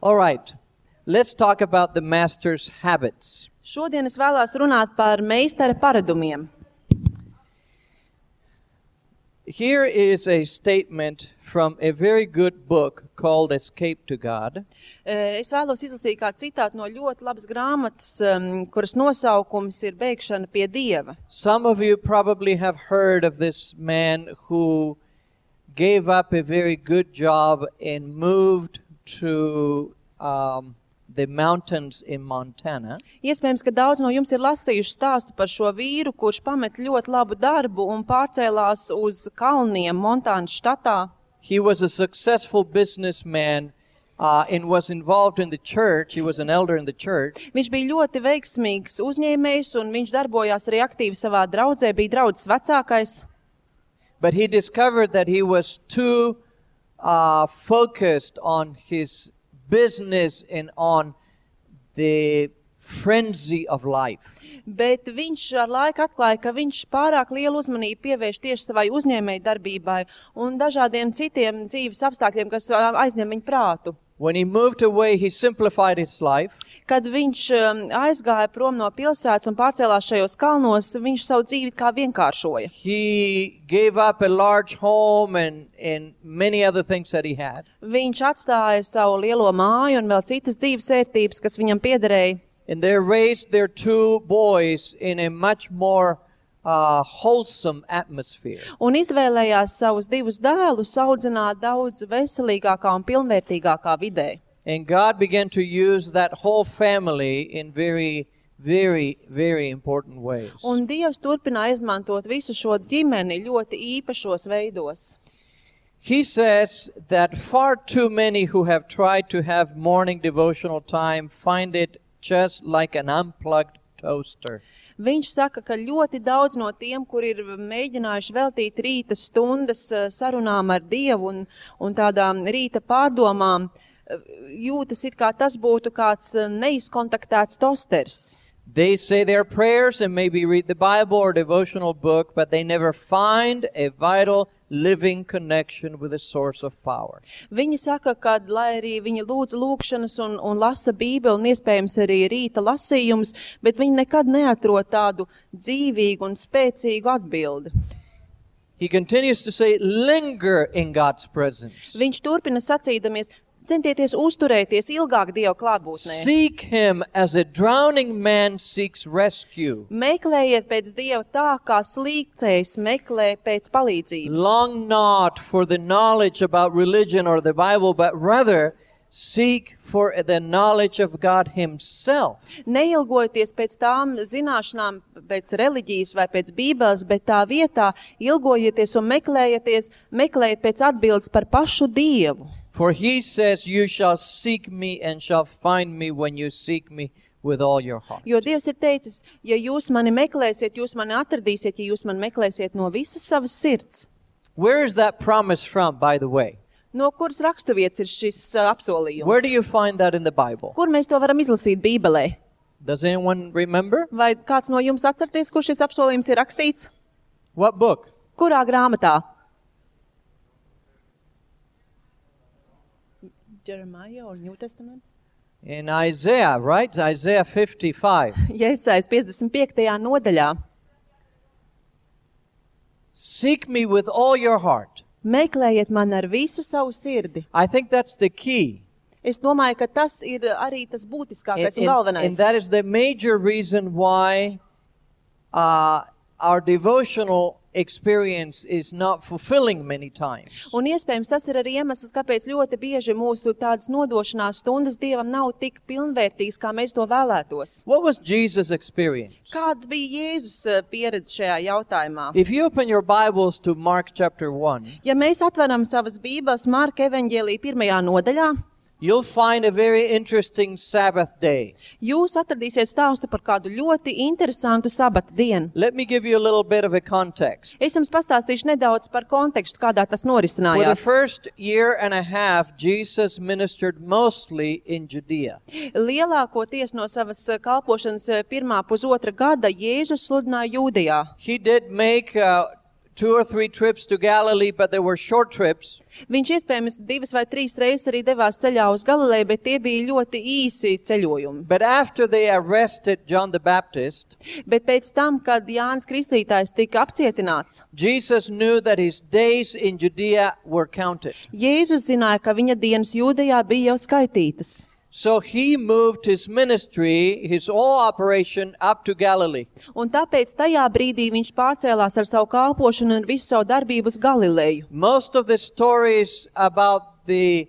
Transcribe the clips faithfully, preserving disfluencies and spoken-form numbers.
All right, let's talk about the master's habits. Šodien es vēlos runāt par meistara paradumiem. Here is a statement from a very good book called Escape to God. Es vēlos izlasīt kādu citātu no ļoti labas grāmatas, um, kuras nosaukums ir Bēgšana pie Dieva. Some of you probably have heard of this man who gave up a very good job and moved to um, the mountains in Montana. Iespējams, ka daudz no jums ir lasījuši stāstu par šo vīru, kurš pamet ļoti labu darbu un pārcēlās uz kalniem Montānas štatā. He was a successful businessman uh, and was involved in the church. He was an elder in the church. Viņš bija ļoti veiksmīgs uzņēmējs un viņš darbojās arī aktīvi savā draudzē, bija draudzes vecākais. But he discovered that he was too uh, focused on his business and on the frenzy of life. Bet viņš ar laiku atklāja, ka viņš pārāk lielu uzmanību pievērš tieši savai uzņēmēju darbībai un dažādiem citiem dzīves apstākļiem, kas aizņem viņa prātu. When he moved away, he simplified his life. Kad viņš aizgāja prom no pilsētas un pārcēlās šajos kalnos, viņš savu dzīvi kā vienkāršoja. He gave up a large home and, and many other things that he had. Viņš atstāja savu lielo māju un vēl citas dzīves ērtības, kas viņam piederēja. And they raised their two boys in a much more uh, wholesome atmosphere. Un izvēlējās savus divus dēlus audzināt daudz veselīgākā un pilnvērtīgākā vidē. And God began to use that whole family in very, very, very important ways. Un Dievs turpināja izmantot visu šo ģimeni ļoti īpašos veidos. He says that far too many who have tried to have morning devotional time find it just like an unplugged toaster. Viņš saka, ka ļoti daudz no tiem, kur ir mēģinājuši veltīt rīta stundas sarunām ar Dievu un, un tādām rīta pārdomām, jūtas it kā tas būtu kāds neizkontaktēts tosters. They say their prayers and maybe read the Bible or devotional book, but they never find a vital living connection with the source of power. Viņi saka, ka, lai arī viņi lūdz lūkšanas un, un lasa Bībeli un iespējams arī rīta lasījums, bet viņi nekad neatrod tādu dzīvīgu un spēcīgu atbildi. He continues to say, linger in God's presence. Viņš turpina sacīdamies, centieties uzturēties ilgāk Dieva klātbūtnē. Seek him as a drowning man seeks rescue. Meklējiet pēc Dieva tā, kā slīgcējs meklē pēc palīdzības. Long not for the knowledge about religion or the Bible, but rather seek for the knowledge of God himself. Neilgojieties pēc tām zināšanām, pēc reliģijas vai pēc Bībeles, bet tā vietā ilgojieties un meklējieties, meklējiet pēc atbildes par pašu Dievu. For he says, you shall seek me and shall find me when you seek me with all your heart. Jo Dievs ir teicis, ja jūs mani meklēsiet, jūs mani atradīsiet, ja jūs mani meklēsiet no visas savas sirds. Where is that promise from, by the way? No kuras raksturvietas ir šis uh, apsolījums? Where do you find that in the Bible? Kur mēs to varam izlasīt Bībelē? Does anyone remember? Vai kāds no jums atcerties, kur šis apsolījums ir rakstīts? What book? Kurā grāmatā? Jeremiah or New Testament? In Isaiah, right? Isaiah fifty-five. Jesais piecdesmit piektajā nodaļā. Seek me with all your heart. Meklējiet man ar visu savu sirdi. I think that's the key. Es domāju, ka tas ir arī tas būtiskākais un And, galvenais. and that is the major reason why uh, our devotional experience is not fulfilling many times. Un iespējams tas ir arī iemesls, kāpēc ļoti bieži mūsu tādas nodošanās stundas Dievam nav tik pilnvērtīgas, kā mēs to vēlētos. What was Jesus' experience? Kāda bija Jēzus pieredze šajā jautājumā? If you open your Bibles to Mark chapter one, Ja mēs atveram savas Bībeles Marka evaņģēlija pirmajā nodaļā, you'll find a very interesting Sabbath day. jūs atradīsiet stāstu par kādu ļoti interesantu sabata dienu. Let me give you a little bit of a context. Es jums pastāstīšu nedaudz par kontekstu, kādā tas For the norisinājās. first year and a half, Jesus ministered mostly in Judea. Lielākoties no savas kalpošanas pirmā pusotra gada Jēzus sludināja Jūdejā. He did make uh, two or three trips to Galilee, but they were short trips. Viņš iespējams divas vai trīs reizes arī devās ceļā uz Galileju, bet tie bija ļoti īsi ceļojumi. But after they arrested John the Baptist, Bet pēc tam, kad Jānis Kristītājs tika apcietināts, Jesus knew that his days in Judea were counted. Jēzus zināja, ka viņa dienas Jūdejā bija jau skaitītas. So he moved his ministry, his whole operation, up to Galilee. Un tāpēc tajā brīdī viņš pārcēlās ar savu kalpošanu un visu savu darbību uz Galileju. Most of the stories about the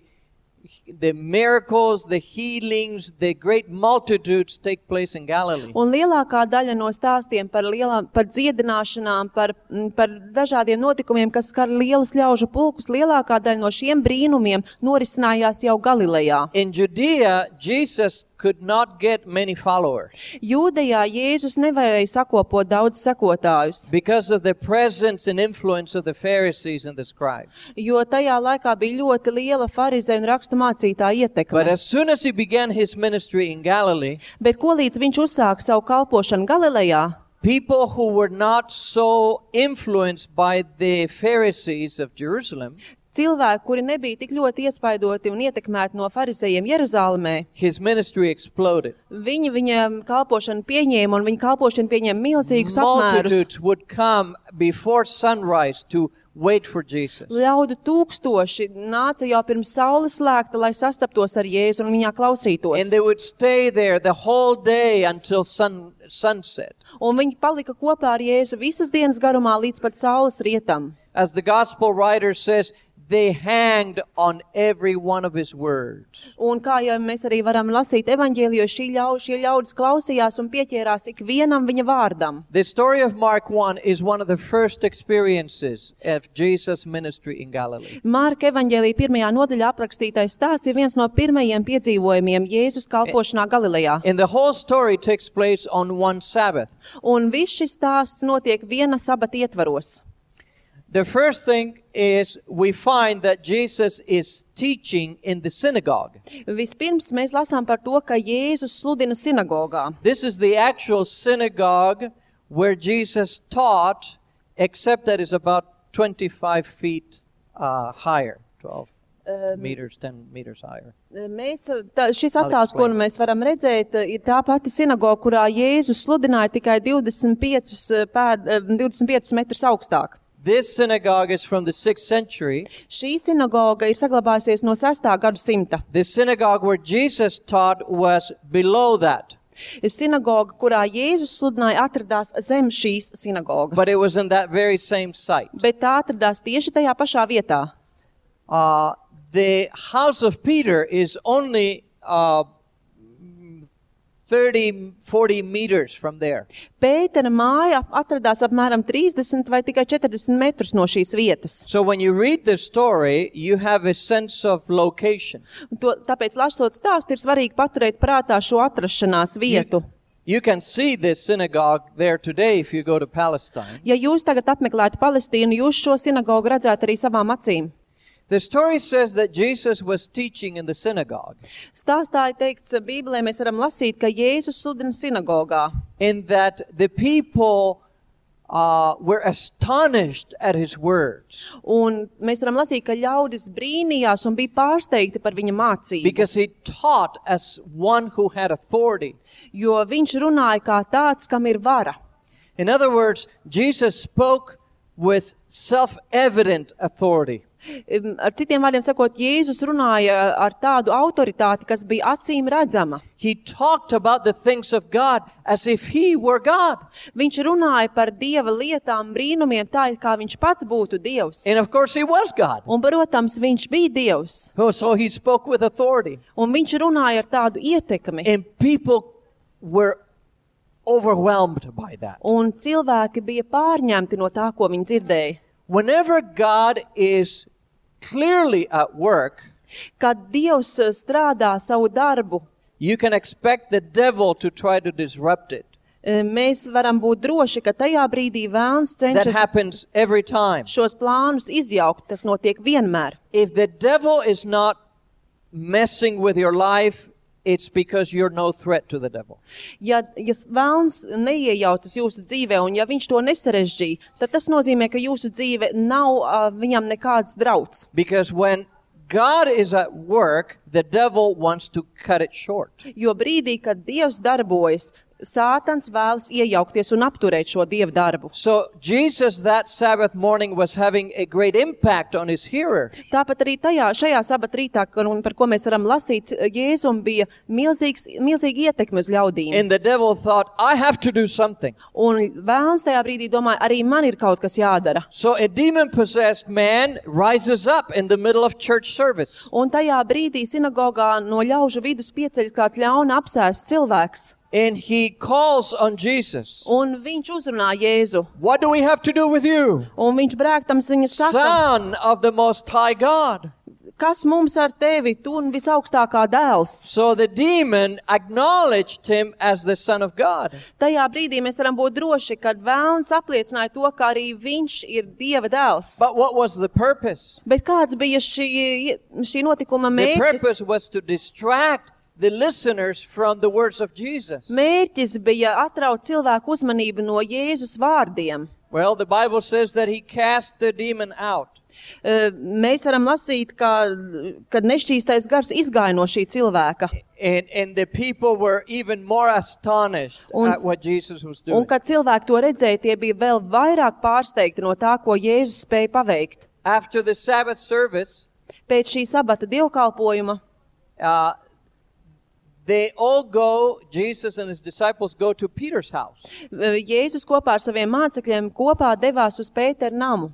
the miracles, the healings, the great multitudes take place in Galilee. Un lielākā daļa no stāstiem par, lielām, par dziedināšanām, par, par dažādiem notikumiem, kas skar lielus ļaužu pulkus, lielākā daļa no šiem brīnumiem norisinājās jau Galilejā. In Judea, Jesus could not get many followers Jūdejā Jēzus nevarēja sakopot daudz sekotājus, because of the presence and influence of the Pharisees and the scribes. jo tajā laikā bija ļoti liela farizēju un rakstu mācītāju But ietekme. as soon as he began his ministry in Galilee, Bet ko līdz viņš uzsāka savu kalpošanu Galilejā, people who were not so influenced by the Pharisees of Jerusalem, cilvēki, kuri nebija tik ļoti iespaidoti un ietekmēti no farizējiem Jeruzālēmē, his ministry exploded. viņi viņam kalpošanu pieņēma un viņa kalpošanu pieņēma milzīgus apmērus. Multitudes would come before sunrise to wait for Jesus. Ļaudu tūkstoši nāca jau pirms saules slēgta, lai sastaptos ar Jēzu un viņā klausītos. And they would stay there the whole day until sun, sunset. Un viņi palika kopā ar Jēzu visas dienas garumā līdz pat saules rietam. As the gospel writer says, they hanged on every one of his words. Un kā jau mēs arī varam lasīt evaņģēlijos, šī ļau, šie ļaudis klausījās un pieķērās ik vienam viņa vārdam. The story of Mark one is one of the first experiences of Jesus' ministry in Galilee. Marka evaņģēlija pirmajā nodaļā aprakstītais stāsts ir viens no pirmajiem piedzīvojumiem Jēzus kalpošanā Galilejā. And the whole story takes place on one Sabbath. Un viss šis stāsts notiek viena sabata ietvaros. The first thing is we find that Jesus is teaching in the synagogue. Vispirms mēs lasām par to, ka Jēzus sludina sinagogā. This is the actual synagogue where Jesus taught, except that it's about twenty-five feet uh, higher, twelve meters, ten meters higher. Mēs, tā, šis attēls, ko mēs varam redzēt, ir tā pati sinagoga, kurā Jēzus sludināja tikai divdesmit piecus, pēd, divdesmit piecus metrus augstāk. This synagogue is from the sixth century. Šī sinagoga ir saglabājusies no sestā gadsimta. The synagogue where Jesus taught was below that. Sinagoga, kurā Jēzus sludināja, atradās zem šīs sinagogas. But it was in that very same site. Bet tā atradās tieši tajā pašā vietā. Uh, the house of Peter is only uh, thirty, forty meters from there. Pētera māja atradās apmēram trīsdesmit vai tikai četrdesmit metrus no šīs vietas. So when you read the story, you have a sense of location. To, tāpēc, lasot stāstu, ir svarīgi paturēt prātā šo atrašanās vietu. You, you can see this synagogue there today if you go to Palestine. Ja jūs tagad apmeklētu Palestīnu, jūs šo sinagogu redzētu arī savām acīm. The story says that Jesus was teaching in the synagogue. Stāstā ir teikts, Bībelē mēs varam lasīt, ka Jēzus sludina sinagogā. In that the people uh, were astonished at his words. Un mēs varam lasīt, ka ļaudis brīnījās un bija pārsteigti par viņa mācību. Because he taught as one who had authority. Jo viņš runāja kā tāds, kam ir vara. In other words, Jesus spoke with self-evident authority. Ar citiem vārdiem sakot, Jēzus runāja ar tādu autoritāti, kas bija acīm redzama. He talked about the things of God as if he were God. Viņš runāja par Dieva lietām, brīnumiem, tā kā viņš pats būtu Dievs. And of course he was God. Un, protams, viņš bija Dievs. Oh, so he spoke with authority. Un viņš runāja ar tādu ietekmi. And people were overwhelmed by that. Un cilvēki bija pārņemti no tā, ko viņi dzirdēja. Whenever God is clearly at work, kad Dievs strādā savu darbu, you can expect the devil to try to disrupt it. Mēs varam būt droši, ka tajā brīdī vēlns That cenšas happens every time. šos plānus izjaukt. Tas notiek vienmēr. If the devil is not messing with your life it's because you're no threat to the devil. Ja, ja vēlns neiejaucas jūsu dzīvē, un ja viņš to nesarežģīja, tad tas nozīmē, ka jūsu dzīve nav uh, viņam nekāds drauds. Because when God is at work, the devil wants to cut it short. Jo brīdī, kad Dievs darbojas, Sātans vēlas iejaukties un apturēt šo Dieva darbu. So Jesus that Sabbath morning was having a great impact on his hearer. Tāpat arī tajā, šajā sabat rītā, un par ko mēs varam lasīt, Jēzum bija milzīgs, milzīgi ietekme uz ļaudīm. And the devil thought, I have to do something. Un vēlns tajā brīdī domāja, arī man ir kaut kas jādara. So a demon-possessed man rises up in the middle of church service. Un tajā brīdī sinagogā no ļaužu vidus pieceļas kāds ļauna apsēsts cilvēks. And he calls on Jesus. Un viņš uzrunā Jēzu. What do we have to do with you? Un viņš brēktams viņa saka, Son of the Most High God. kas mums ar tevi, tu un visaugstākā dēls? So the demon acknowledged him as the Son of God. Tajā brīdī mēs varam būt droši, kad vēlns apliecināja to, ka arī viņš ir Dieva dēls. But what was the purpose? Bet kāds bija šī, šī notikuma The mērķis? purpose was to distract the listeners from the words of Jesus. Mērķis bija atraut cilvēku uzmanību no Jēzus vārdiem. Well, the Bible says that he cast the demon out. Uh, Mēs varam lasīt, ka, kad nešķīstais gars izgāja no šī cilvēka. And, and the people were even more astonished Un- at what Jesus was Un doing. kad cilvēki to redzēja, tie bija vēl vairāk pārsteigti no tā, ko Jēzus spēja paveikt. After the Sabbath service, Pēc šī sabata dievkalpojuma uh, they all go, Jesus and his disciples go to Peter's house. uh, Jēzus kopā ar saviem mācekļiem kopā devās uz Pēteru namu.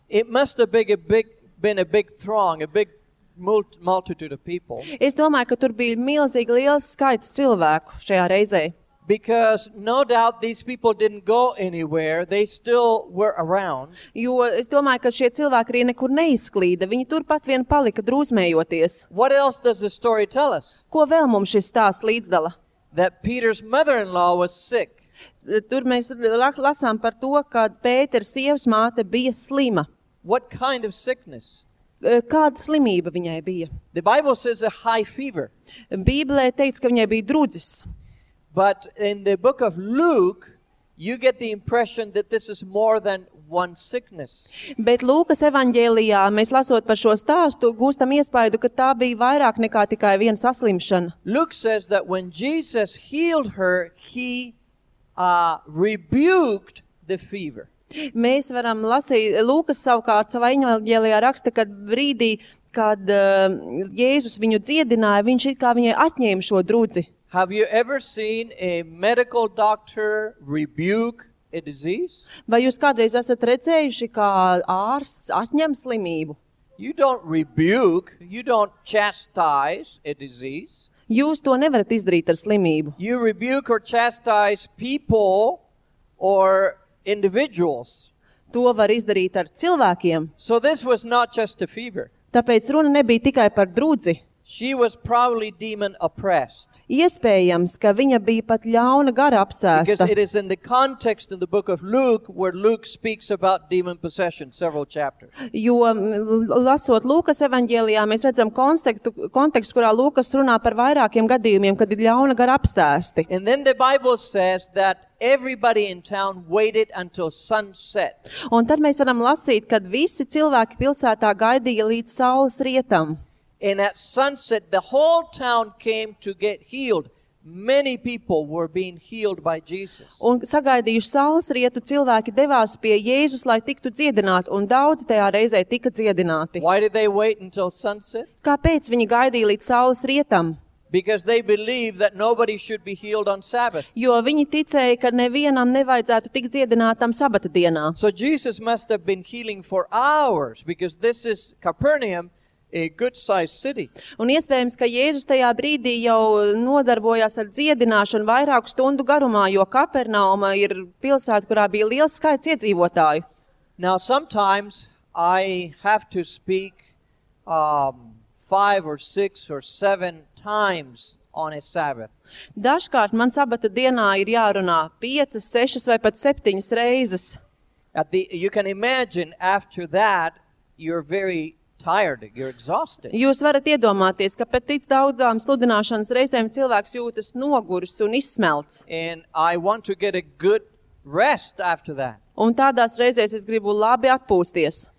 It must have been a big, been a big throng, a big mul- multitude of people. Es domāju, ka tur bija milzīgi liels skaits cilvēku šajā reizē. Because no doubt these people didn't go anywhere. They still were around. Jo es domāju, ka šie cilvēki arī nekur neizklīda. Viņi turpat vien palika drūzmējoties. What else does the story tell us? Ko vēl mums šis stāsts līdzdala? That Peter's mother-in-law was sick. Tur mēs rak- lasām par to, ka Pētera sievas māte bija slima. What kind of sickness? E, Kāda slimība viņai bija? The Bible says a high fever. Bībelē teica, ka viņai bija drudzis. But in the book of Luke, you get the impression that this is more than one sickness. Bet Lūkas evaņģēlijā mēs lasot par šo stāstu, gūstam iespaidu, ka tā bija vairāk nekā tikai viena saslimšana. Luke says that when Jesus healed her, he uh, rebuked the fever. Mēs varam lasīt, Lūkas savukārt savā evaņģēlijā raksta, kad brīdī, kad uh, Jēzus viņu dziedināja, viņš it kā viņai atņēma šo drudzi. Have you ever seen a medical doctor rebuke a disease? Vai jūs kādreiz esat redzējuši, kā ārsts atņem slimību? You don't rebuke, you don't chastise a disease. Jūs to nevarat izdarīt ar slimību. You rebuke or chastise people or individuals. To var izdarīt ar cilvēkiem. So this was not just a fever. Tāpēc runa nebija tikai par drudzi. She was probably demon oppressed. Iespējams, ka viņa bija pat ļauna gara Because apsēsta. it is in the context in the book of Luke where Luke speaks about demon possession, several chapters. Jo m, lasot Lūkas evaņģēlijā, mēs redzam kontekstu, kontekstu, kurā Lūkas runā par vairākiem gadījumiem, kad ir ļauna gara apsēsti. And then the Bible says that everybody in town waited until sunset. Un tad mēs varam lasīt, kad visi cilvēki pilsētā gaidīja līdz saules rietam. And at sunset, the whole town came to get healed. Many people were being healed by Jesus. Un sagaidījuši saules rietu, cilvēki devās pie Jēzus, lai tiktu dziedināti, un daudzi tajā reizē tika dziedināti. Why did they wait until sunset? Kāpēc viņi gaidīja līdz saules rietam? Because they believed that nobody should be healed on Sabbath. Jo viņi ticēja, ka nevienam nevajadzētu tikt dziedinātam sabata dienā. So Jesus must have been healing for hours because this is Capernaum, a good-sized city. Un iespējams, ka Jēzus tajā brīdī jau nodarbojās ar dziedināšanu vairāku stundu garumā, jo Kapernauma ir pilsēta, kurā bija liels skaits iedzīvotāju. Now, sometimes I have to speak um, five or six or seven times on a Sabbath. Dažkārt man sabata dienā ir jārunā piecas, sešas vai pat septiņas reizes. At the, you can imagine after that, you're very tired, you're exhausted. Jūs varat iedomāties, ka pēc tic daudzām sludināšanas reizēm cilvēks jūtas noguris un izsmelts. And I want to get a good rest after that. Un tādās reizēs es gribu labi atpūsties.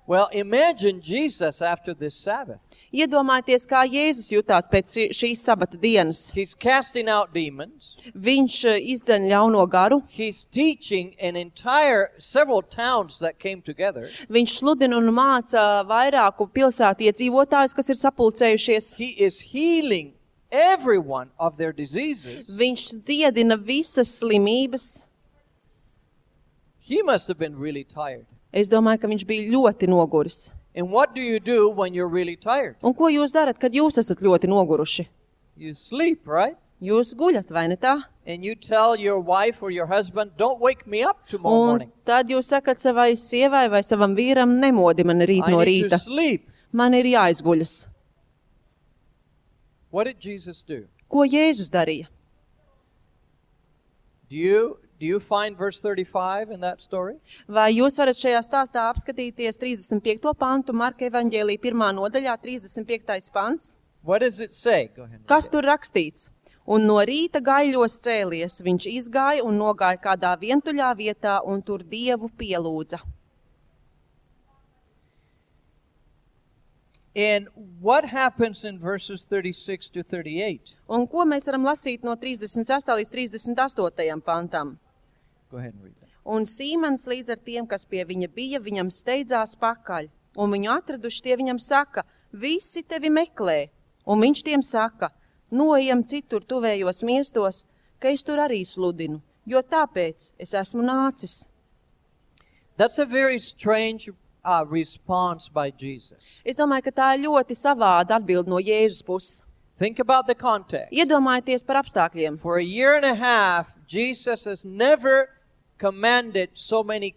Well, imagine Jesus after this Sabbath. Iedomājieties, kā Jēzus jutās pēc šīs sabata dienas. He's casting out demons. Viņš izdzeļ ļauno garu. He's teaching an entire, several towns that came together. Viņš sludina un māca vairāku pilsētu iedzīvotājus, kas ir sapulcējušies. He is healing everyone of their diseases. Viņš dziedina visas slimības. He must have been really tired. Es domāju, ka viņš bija ļoti noguris. And what do you do when you're really tired? Un ko jūs darat, kad jūs esat ļoti noguruši? You sleep, right? Jūs guļat, vai ne tā? And you tell your wife or your husband, don't wake me up tomorrow Un morning. tad jūs sakat savai sievai vai savam vīram, nemodi man rīt I no need to rīta. sleep. Man ir jāizguļas. What did Jesus do? Ko Jēzus darīja? Do you, do you find verse thirty-five in that story? Vai jūs varat šajā stāstā apskatīties trīsdesmit piekto pantu Marka evaņģēlija pirmā nodaļā, trīsdesmit piektais pants? What does it say? Go ahead. Kas tur rakstīts? Un no rīta gaiļos cēlies, viņš izgāja un nogāja kādā vientuļā vietā un tur Dievu pielūdza. And what happens in verses thirty-six to thirty-eight? Un ko mēs varam lasīt no trīsdesmit sestā līdz trīsdesmit astotajam pantam? Go ahead and read that. Un Sīmans līdz ar tiem, kas pie viņa bija, viņam steidzās pakaļ. Un viņu atraduši tie viņam saka, visi tevi meklē. Un viņš tiem saka, noejam citur tuvējos miestos, ka es tur arī sludinu, jo tāpēc es esmu nācis. That's a very strange uh, response by Jesus. Es domāju, ka tā ir ļoti savāda atbilde no Jēzus puses. Think about the context. Iedomājieties par apstākļiem. For a year and a half, Jesus has never commanded so many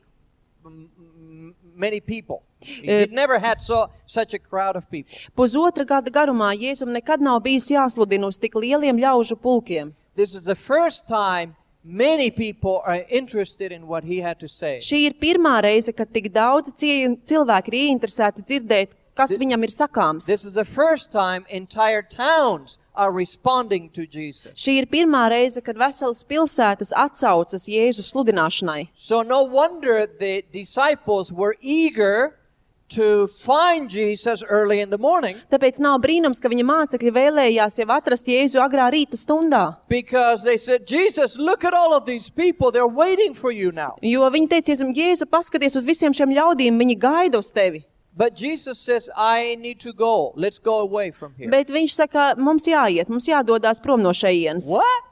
m- m- many people. He'd never had so such a crowd of people. Pusotra gada garumā Jēzum nekad nav bijis jāsludina uz tik lieliem ļaužu pulkiem. This is the first time many people are interested in what he had to say. Šī ir pirmā reize, kad tik daudz cie- cilvēki ir ieinteresēti dzirdēt, kas viņam ir sakāms. This is the first time entire towns are responding to Jesus. Šī ir pirmā reize, kad veselas pilsētas atsaucas Jēzus sludināšanai. So no wonder the disciples were eager to find Jesus early in the morning, Tāpēc nav brīnums, ka viņa mācekļi vēlējās jau atrast Jēzu agrā rīta stundā. because they said, Jesus, look at all of these people. They're waiting for you now. Jo viņi teica, Jēzu, paskaties uz visiem šiem ļaudīm, viņi gaida uz tevi. But Jesus says, I need to go. Let's go away from here. Bet viņš saka, mums jāiet, mums jādodās prom no šejienes. What?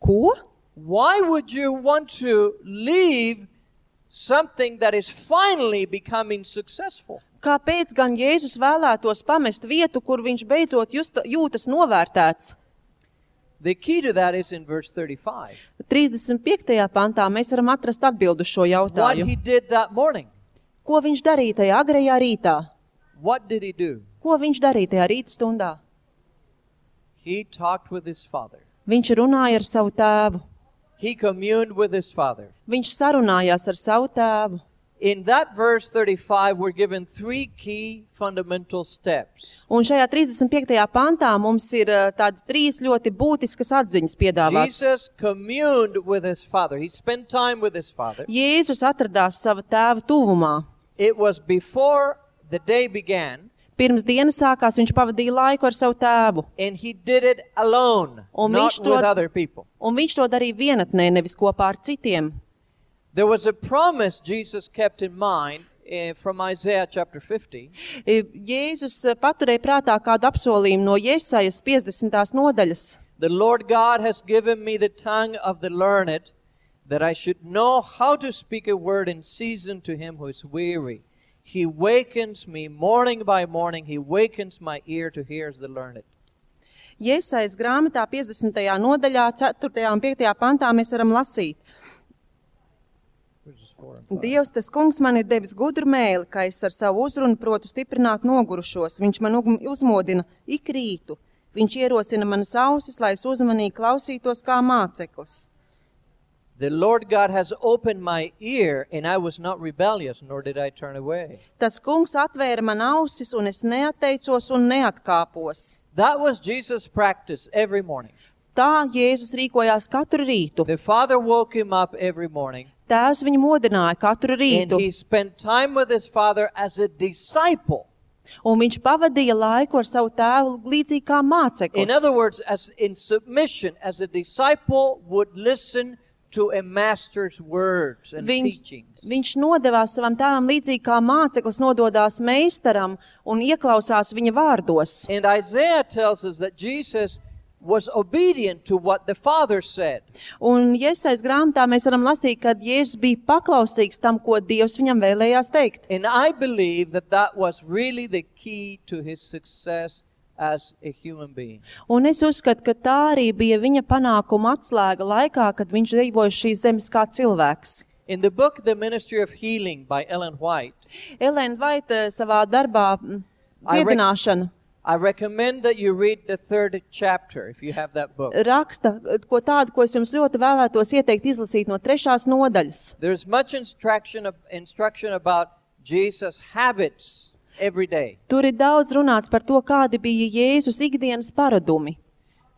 Ko? Why would you want to leave something that is finally becoming successful? Kāpēc gan Jēzus vēlētos pamest vietu, kur viņš beidzot just, jūtas novērtēts? The key to that is in verse thirty-five. trīsdesmit piektajā pantā mēs varam atrast atbildu šo What jautājumu. he did that morning. Ko viņš darīja tajā agrajā rītā? What did he do? Ko viņš darīja tajā rīta stundā? He talked with his father. Viņš runāja ar savu tēvu. He communed with his father. Viņš sarunājās ar savu tēvu. In that verse thirty-five, we're given three key fundamental steps. Un šajā trīsdesmit piektajā pantā mums ir uh, tādas trīs ļoti būtiskas atziņas piedāvātas. Jesus communed with his father. He spent time with his father. Jēzus atradās sava tēva tuvumā. It was before the day began, Pirms dienas sākās, viņš pavadīja laiku ar savu tēvu. and he did it alone, Un not viņš to- with other people. Un viņš to darīja vienatnē, nevis kopā ar citiem. There was a promise Jesus kept in mind uh, from Isaiah chapter fifty. E, Jēzus uh, paturēja prātā kādu apsolījumu no Jesajas piecdesmitās nodaļas. The Lord God has given me the tongue of the learned, that I should know how to speak a word in season to him who is weary. He wakens me morning by morning. He wakens my ear to hear as the learned. Jesajas grāmatā piecdesmitajā nodaļā, ceturtajā un piektajā pantā mēs varam lasīt. Verses four and five. Dievs, tas kungs man ir devis gudru mēli, ka es ar savu uzrunu protu stiprināt nogurušos. Viņš man ugm- uzmodina ik rītu. Viņš ierosina manas ausis, lai es uzmanīgi klausītos kā māceklis. The Lord God has opened my ear, and I was not rebellious, nor did I turn away. Tas kungs atvēra man ausis, un es neatteicos un neatkāpos. That was Jesus' practice every morning. Tā Jēzus rīkojās katru rītu. The Father woke him up every morning, Tēvs viņu modināja katru and rītu, he spent time with his Father as a disciple. un viņš pavadīja laiku ar savu tēvu līdzīgi kā In māceklis. other words, as in submission, as a disciple would listen to a master's words and Viņš, teachings. viņš nodevās savam tēvam līdzīgi kā māceklis nododās meistaram un ieklausās viņa vārdos. And Isaiah tells us that Jesus was obedient to what the Father said. Un Iesais grāmatā mēs varam lasīt, ka Jēzus bija paklausīgs tam, ko Dievs viņam vēlējās teikt. And I believe that that was really the key to his success as a human being. Un es uzskatu, ka tā arī bija viņa panākuma atslēga laikā, kad viņš dzīvoja šīs zemes kā cilvēks. In the book The Ministry of Healing by Ellen White, Elēna Vaita savā darbā mm, I rec- dziedināšana I recommend that you read the third chapter if you have that book. raksta, ko tādu, ko es jums ļoti vēlētos ieteikt izlasīt no trešās nodaļas. There's much instruction instruction about Jesus' habits every day. Tur ir daudz runāts par to, kādi bija Jēzus ikdienas paradumi.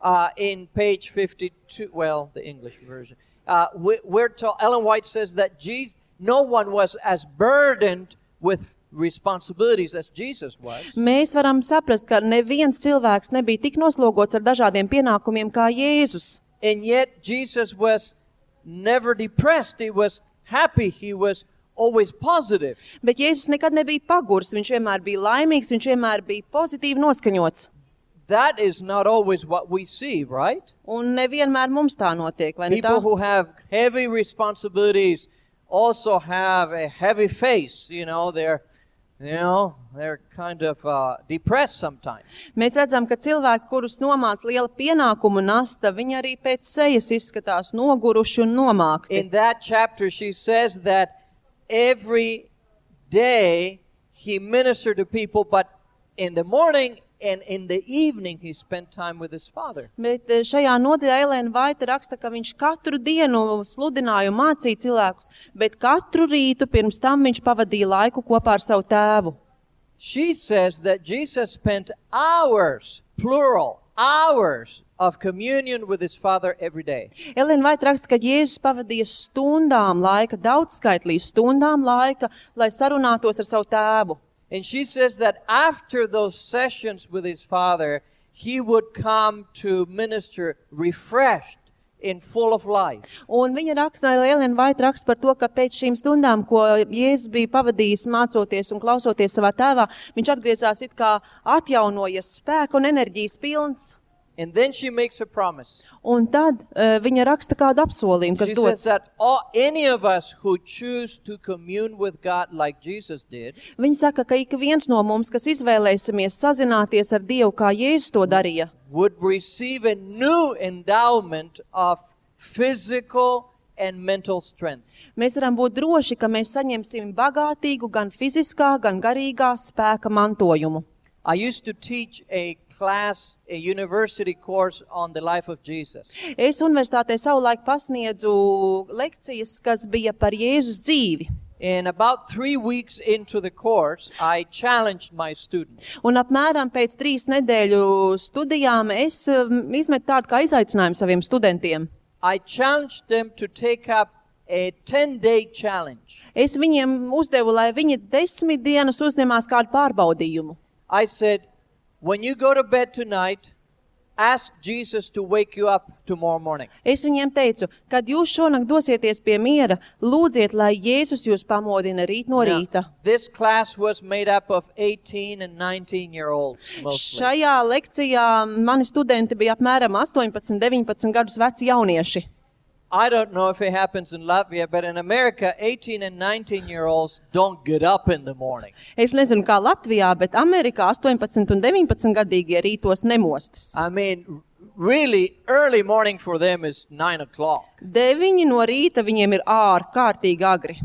Uh, in page fifty-two, well, the English version, uh, we, we're told, Ellen White says that Jesus, no one was as burdened with responsibilities as Jesus was. Mēs varam saprast, ka neviens cilvēks nebija tik noslogots ar dažādiem pienākumiem kā Jēzus. And yet Jesus was never depressed. He was happy. He was always positive. Bet Jēzus nekad nebija pagurs, viņš vienmēr bija laimīgs, viņš vienmēr bija pozitīvi noskaņots. That is not always what we see, right? Un nevienmēr mums tā notiek, vai ne tā? People who have heavy responsibilities also have a heavy face. You know, they're, you know, they're kind of uh, depressed sometimes. Mēs redzam, ka cilvēki, kurus nomāc liela pienākumu nasta, viņi arī pēc sejas izskatās noguruši un nomākti. In that chapter, she says that every day he ministered to people, but in the morning and in the evening he spent time with his Father. Bet eh, šajā nodaļā Elēna Vaita raksta, ka viņš katru dienu sludināja un mācīja cilvēkus, bet katru rītu pirms tam viņš pavadīja laiku kopā ar savu tēvu. She says that Jesus spent hours, plural, hours of communion with his Father every day. Elēna Vaita raksta, ka Jēzus pavadīja stundām laika, daudzskaitlī stundām laika, lai sarunātos ar savu tēvu. And she says that after those sessions with his Father, he would come to minister refreshed and full of life. Un viņa raksta, Elēna Vaita raksta par to, ka pēc šīm stundām, ko Jēzus bija pavadījis mācoties un klausoties savā tēvā, viņš atgriezās it kā atjaunojies spēku un enerģijas pilns. And then she makes a promise. Un tad uh, viņa raksta kādu apsolījumu, kas She dots. says that all, any of us who choose to commune with God like Jesus did, Viņa saka, ka ik viens no mums, kas izvēlēsimies sazināties ar Dievu, kā Jēzus to darīja, would receive a new endowment of physical and mental strength. mēs varam būt droši, ka mēs saņemsim bagātīgu gan fiziskā, gan garīgā spēka mantojumu. I used to teach a class, a university course on the life of Jesus. Es universitātē savulaik pasniedzu lekcijas, kas bija par Jēzus dzīvi. And about three weeks into the course, I challenged my students. Un apmēram pēc trīs nedēļu studijām es um, izmetu tādu kā izaicinājumu saviem studentiem. I challenged them to take up a ten-day challenge. Es viņiem uzdevu, lai viņi desmit dienas uzņemās kādu pārbaudījumu. I said, when you go to bed tonight, ask Jesus to wake you up tomorrow morning. Es viņiem teicu, kad jūs šonakt dosieties pie miera, lūdziet, lai Jēzus jūs pamodina rīt no Now, rīta. this class was made up of eighteen and nineteen year olds mostly. Šajā lekcijā mani studenti bija apmēram astoņpadsmit, deviņpadsmit gadus veci jaunieši. I don't know if it happens in Latvia, but in America, eighteen and nineteen year olds don't get up in the morning. Es nezinu, kā Latvijā, bet Amerikā astoņpadsmit un deviņpadsmit gadīgie rītos nemostas. I mean, really, early morning for them is nine o'clock. Deviņi no rīta viņiem ir ārkārtīgi agri.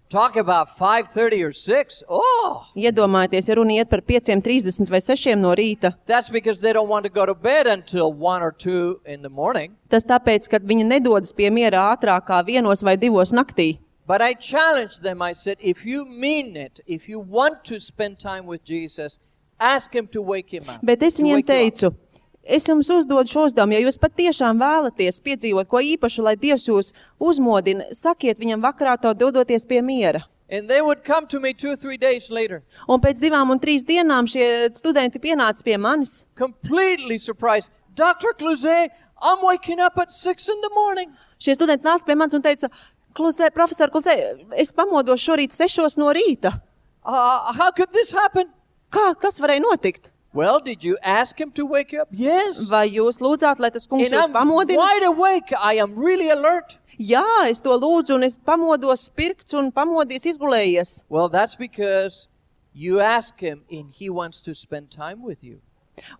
Talk about five thirty or six. Oh, Iedomājieties, ja runa iet par pieciem trīsdesmit vai sešiem no rīta. that's because they don't want to go to bed until one or two in the morning. Tas tāpēc, ka viņi nedodas pie miera ātrāk kā vienos vai divos naktī. But I challenged them. I said, if you mean it, if you want to spend time with Jesus, ask him to wake him up. Bet es to viņiem wake you up. teicu, es jums uzdodu šo uzdevumu, ja jūs patiešām vēlaties piedzīvot ko īpašu, lai Dievs jūs uzmodina, sakiet viņam vakarā to dodoties pie miera. And they would come to me two or three days later, Un pēc divām un trīs dienām šie studenti pienāca pie manis. completely surprised. Doctor Cluzet, I'm waking up at six in the morning. Šie studenti nāca pie manis un teica, Kluzē, profesor Kluzē, es pamodos šorīt sešos no rīta. Uh, how could this happen? Kā tas varēja notikt? Well, did you ask him to wake you up? Yes. Vai jūs lūdzāt, lai tas kungs And jūs I'm pamodina? wide awake. I am really alert. Jā, es to lūdzu un es pamodos spirkts un pamodies izgulējies. Well, that's because you ask him and he wants to spend time with you.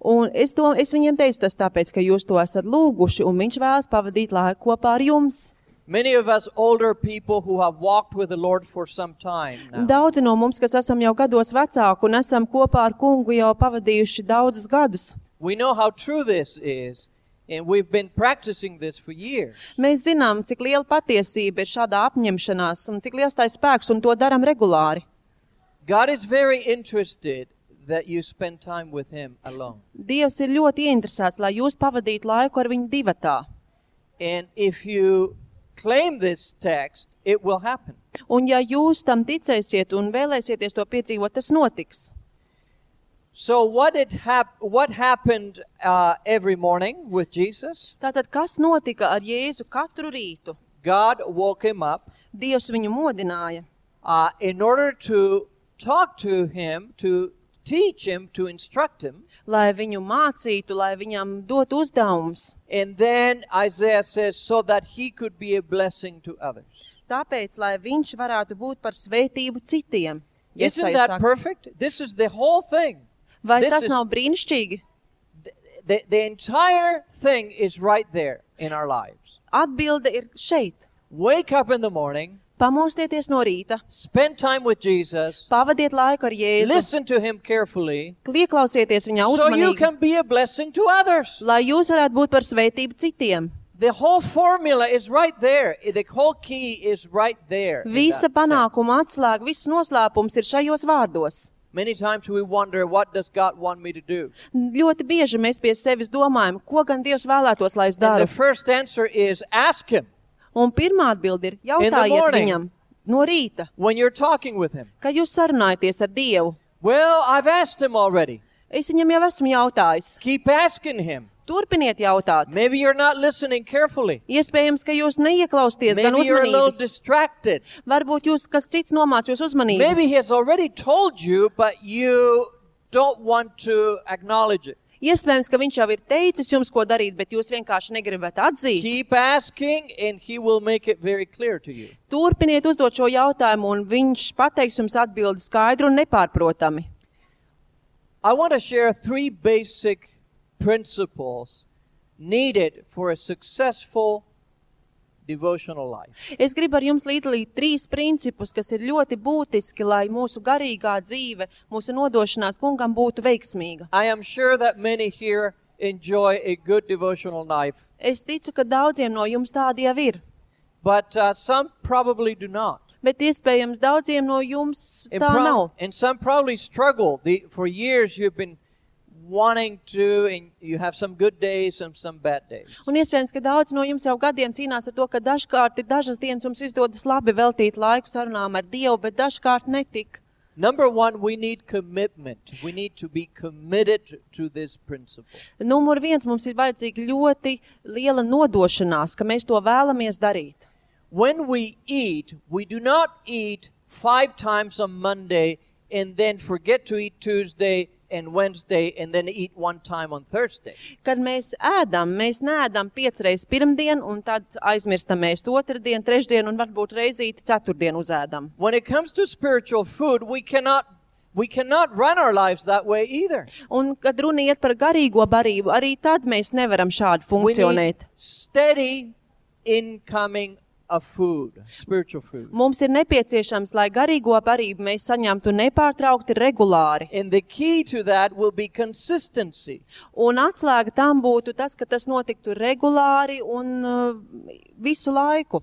Un es, to, es viņiem teicu tas tāpēc, ka jūs to esat lūguši un viņš vēlas pavadīt laiku kopā ar jums. Many of us older people who have walked with the Lord for some time now, Daudzi no mums, kas esam jau gados vecāki un esam kopā ar kungu jau pavadījuši daudzus gadus. we know how true this is, and we've been practicing this for years. Mēs zinām, cik liela patiesība ir šādā apņemšanās un cik liels tā ir spēks un to daram regulāri. God is very interested that you spend time with him alone. Dievs ir ļoti ieinteresēts, lai jūs pavadītu laiku ar viņu divatā. And if you claim this text, it will happen. Un ja jūs tam ticēsiet un vēlēsieties to piedzīvot, tas notiks. So what did hap- what happened uh, every morning with Jesus? Tātad, kas notika ar Jēzu katru rītu? God woke him up Dievs viņu modināja, uh, in order to talk to him, to teach him, to instruct him. lai viņu mācītu, lai viņam dotu uzdevumus. And then Isaiah says, so that he could be a blessing to others. Tāpēc, lai viņš varētu būt par svētību citiem. Isn't Jesaja that saka. perfect? This is the whole thing. Vai This tas is- nav brīnišķīgi? The, the entire thing is right there in our lives. Atbilde ir šeit. Wake up in the morning, Pamostieties no rīta, spend time with Jesus, pavadiet laiku ar Jēzu, listen to him carefully, ieklausieties viņā so you uzmanīgi, can be a blessing to others. lai jūs varētu būt par svētību citiem. The whole formula is right there. The whole key is right there. in Visa that text. panākuma atslēga, viss noslēpums ir šajos vārdos. Many times we wonder, what does God want me to do? Ļoti bieži mēs pie sevis domājam, ko gan Dievs vēlētos, lai es And the daru. first answer is ask him Un pirmā atbilde ir In the jautājiet morning. viņam no rīta, when you're talking with him. kad jūs sarunājaties ar Dievu. Well, I've asked him already. Es viņam jau esmu jautājis. Keep asking him. Turpiniet jautāt. Maybe you're not listening carefully. Iespējams, ka jūs neieklausties gan Maybe you're a little uzmanīgi. distracted. Varbūt jūs kas cits nomāc jūs uzmanību. Maybe he has already told you, but you don't want to acknowledge it. Iespējams, ka viņš jau ir teicis jums, ko darīt, bet jūs vienkārši negribat atzīt. Keep asking, and he will make it very clear to you. Turpiniet uzdot šo jautājumu, un viņš pateiks jums atbildi skaidru un nepārprotami. I want to share three basic principles needed for a successful devotional life. Es gribu ar jums līdalīt trīs principus, kas ir ļoti būtiski, lai mūsu garīgā dzīve, mūsu nodošanās kungam būtu veiksmīga. I am sure that many here enjoy a good devotional life, Es ticu, ka daudziem no jums tādi jau ir, but uh, some probably do not. bet iespējams daudziem no jums And, tā prob- nav. and some probably struggle. The, for years you've been wanting to, and you have some good days and some bad days. Un iespējams, ka daudz no jums jau gadiem cīnās ar to, ka dažkārt ir dažas dienas jums izdodas labi veltīt laiku sarunām ar Dievu, bet dažkārt netik. Number one, we need commitment. We need to be committed to this principle. Numur viens, mums ir vajadzīga ļoti liela nodošanās, ka mēs to vēlamies darīt. When we eat, we do not eat five times on Monday and then forget to eat Tuesday and Wednesday and then eat one time on Thursday. Kad mēs ēdam, mēs neēdam piecreiz pirmdien un tad aizmirstam mēs otrdien, trešdien un varbūt reizīti ceturtdien uzēdam. When it comes to spiritual food, we cannot we cannot run our lives that way either. Un, kad runa iet par garīgo barību, arī tad mēs nevaram šādi We need funkcionēt. steady incoming of food, spiritual food. Mums ir nepieciešams, lai garīgo barību mēs saņemtu nepārtraukti regulāri. And the key to that will be consistency. Un atslēga tam būtu tas, ka tas notiktu regulāri un uh, visu laiku.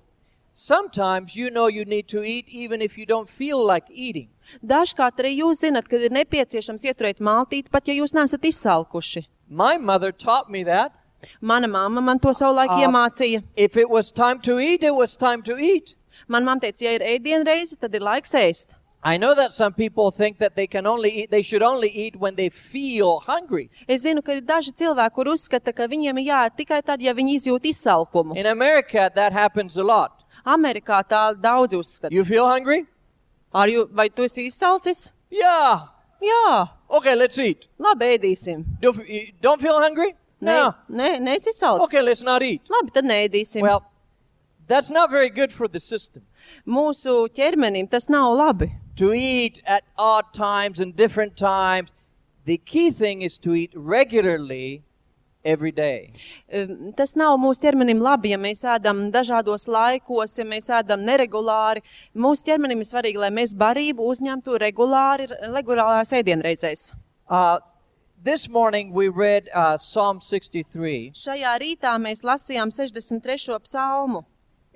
Sometimes you know you need to eat even if you don't feel like eating. Dažkārt arī jūs zinat, ka ir nepieciešams ieturēt maltīti, pat ja jūs neesat izsalkuši. My mother taught me that. Mana mamma man to savulaik Uh, iemācīja. If it was time to eat, it was time to eat. Man mamma teica, ja ir ēdienreize, tad ir laiks ēst. I know that some people think that they can only eat, they should only eat when they feel hungry. Es zinu, ka ir daži cilvēki, kur uzskata, ka viņiem ir jāēd tikai tad, ja viņi izjūt izsalkumu. In America, that happens a lot. Amerikā tā daudz uzskata. You feel hungry? Ar jū, vai tu esi izsalcis? Yeah. Jā, Okay, let's eat. labi, ēdīsim. Don't, you don't feel hungry? Nē, No. nē, neesi izsalcis. Okay, let's not eat. Labi, tad neēdīsim. Well, that's not very good for the system. Mūsu ķermenim tas nav labi. To eat at odd times and different times. The key thing is to eat regularly every day. Um, Tas nav mūsu ķermenim labi, ja mēs ēdam dažādos laikos, ja mēs ēdam neregulāri. Mūsu ķermenim ir svarīgi, lai mēs barību uzņemtu regulāri, regulārās ēdienreizēs. Uh, this morning we read uh, Psalm sixty-three. Šajā rītā mēs lasījām sešdesmit trešo psalmu.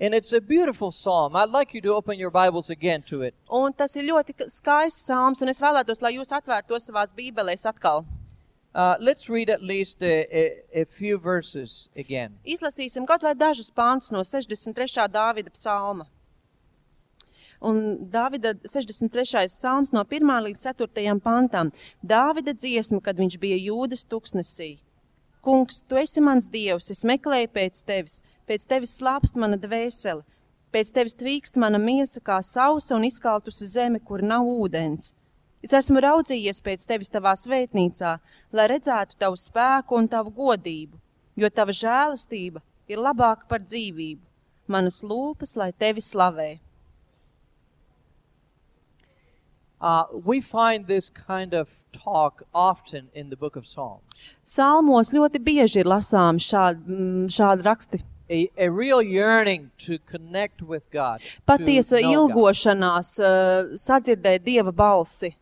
And it's a beautiful psalm. I'd like you to open your Bibles again to it. Un tas ir ļoti k- skaists psalms, un es vēlētos, lai jūs atvērtu to savās bībelēs atkal. Uh, let's read at least a, a, a few verses again. Izlasīsim kaut vai dažus pāntus no sešdesmit trešā Dāvida psalma. Un Dāvida sešdesmit trešais psalms no pirmā līdz ceturtajam pantam. Dāvida dziesma, kad viņš bija Jūdas tuksnesī. Kungs, tu esi mans Dievs, es meklēju pēc tevis, pēc tevis slāpst mana dvēsele, pēc tevis tvīkst mana miesa kā sausa un izkaltusi zeme, kur nav ūdens. Es esmu raudzījies pēc tevis tavā svētnīcā, lai redzētu tavu spēku un tavu godību, jo tava žēlastība ir labāka par dzīvību. Manas lūpas, lai tevi slavē. Uh, we find this kind of talk often in the book of Psalms. Salmos ļoti bieži ir lasām šādi, mm, šādi raksti. A, a real yearning to connect with God. Patiesa to know God. ilgošanās uh, sadzirdēt Dieva balsi.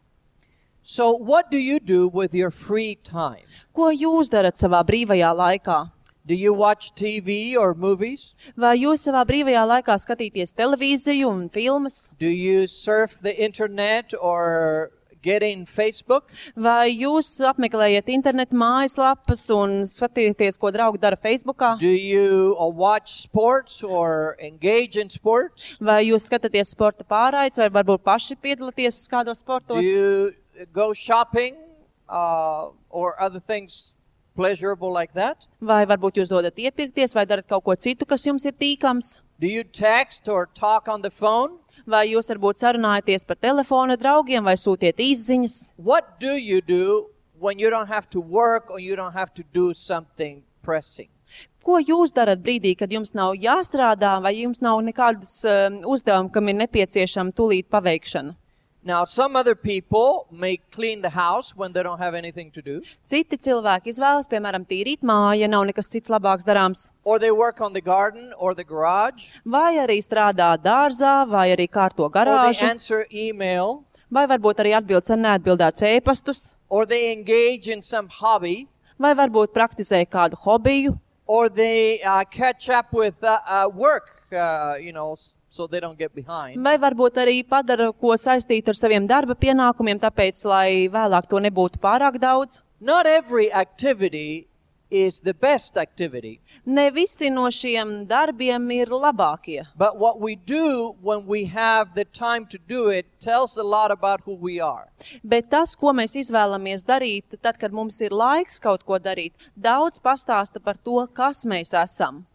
So what do you do with your free time? Ko jūs darat savā brīvajā laikā? Do you watch T V or movies? Vai jūs savā brīvajā laikā skatīties televīziju un filmas? Do you surf the internet or get in Facebook? Vai jūs apmeklējat internetu mājaslapas un skatieties, ko draugi dara Facebookā? Do you uh, watch sports or engage in sports? Vai jūs skatāties sporta pārraides, vai varbūt paši piedalāties kādos Do sportos? you go shopping uh, or other things pleasurable like that? Vai varbūt jūs dodat iepirkties, vai darat kaut ko citu, kas jums ir tīkams? Do you text or talk on the phone? Vai jūs varbūt sarunājaties par telefona draugiem, vai sūtiet īsziņas? What do you do when you don't have to work or you don't have to do something pressing? Ko jūs darat brīdī, kad jums nav jāstrādā, vai jums nav nekādas um, uzdevumi, kam ir nepieciešama tūlīt paveikšana? Now, some other people may clean the house when they don't have anything to do, Citi cilvēki izvēlas, piemēram, tīrīt māju, ja nav nekas cits labāks darāms, or they work on the garden or the garage, vai arī strādā dārzā, vai arī kārto or they garāžu, answer email, vai varbūt arī atbildes ar neatbildētus ēpastus, or they engage in some hobby, vai varbūt praktizē kādu hobiju, or they uh, catch up with uh, uh, work, uh, you know, s- so they don't get behind. vai varbūt arī padara ko saistītu ar saviem darba pienākumiem, tāpēc, lai vēlāk to nebūtu pārāk daudz. Not every activity is the best activity, Ne visi no šiem darbiem ir labākie. but what we do when we have the time to do it tells a lot about who we are. Bet tas, ko mēs izvēlamies darīt, tad, kad mums ir laiks kaut ko darīt, daudz pastāsta par to, kas mēs esam.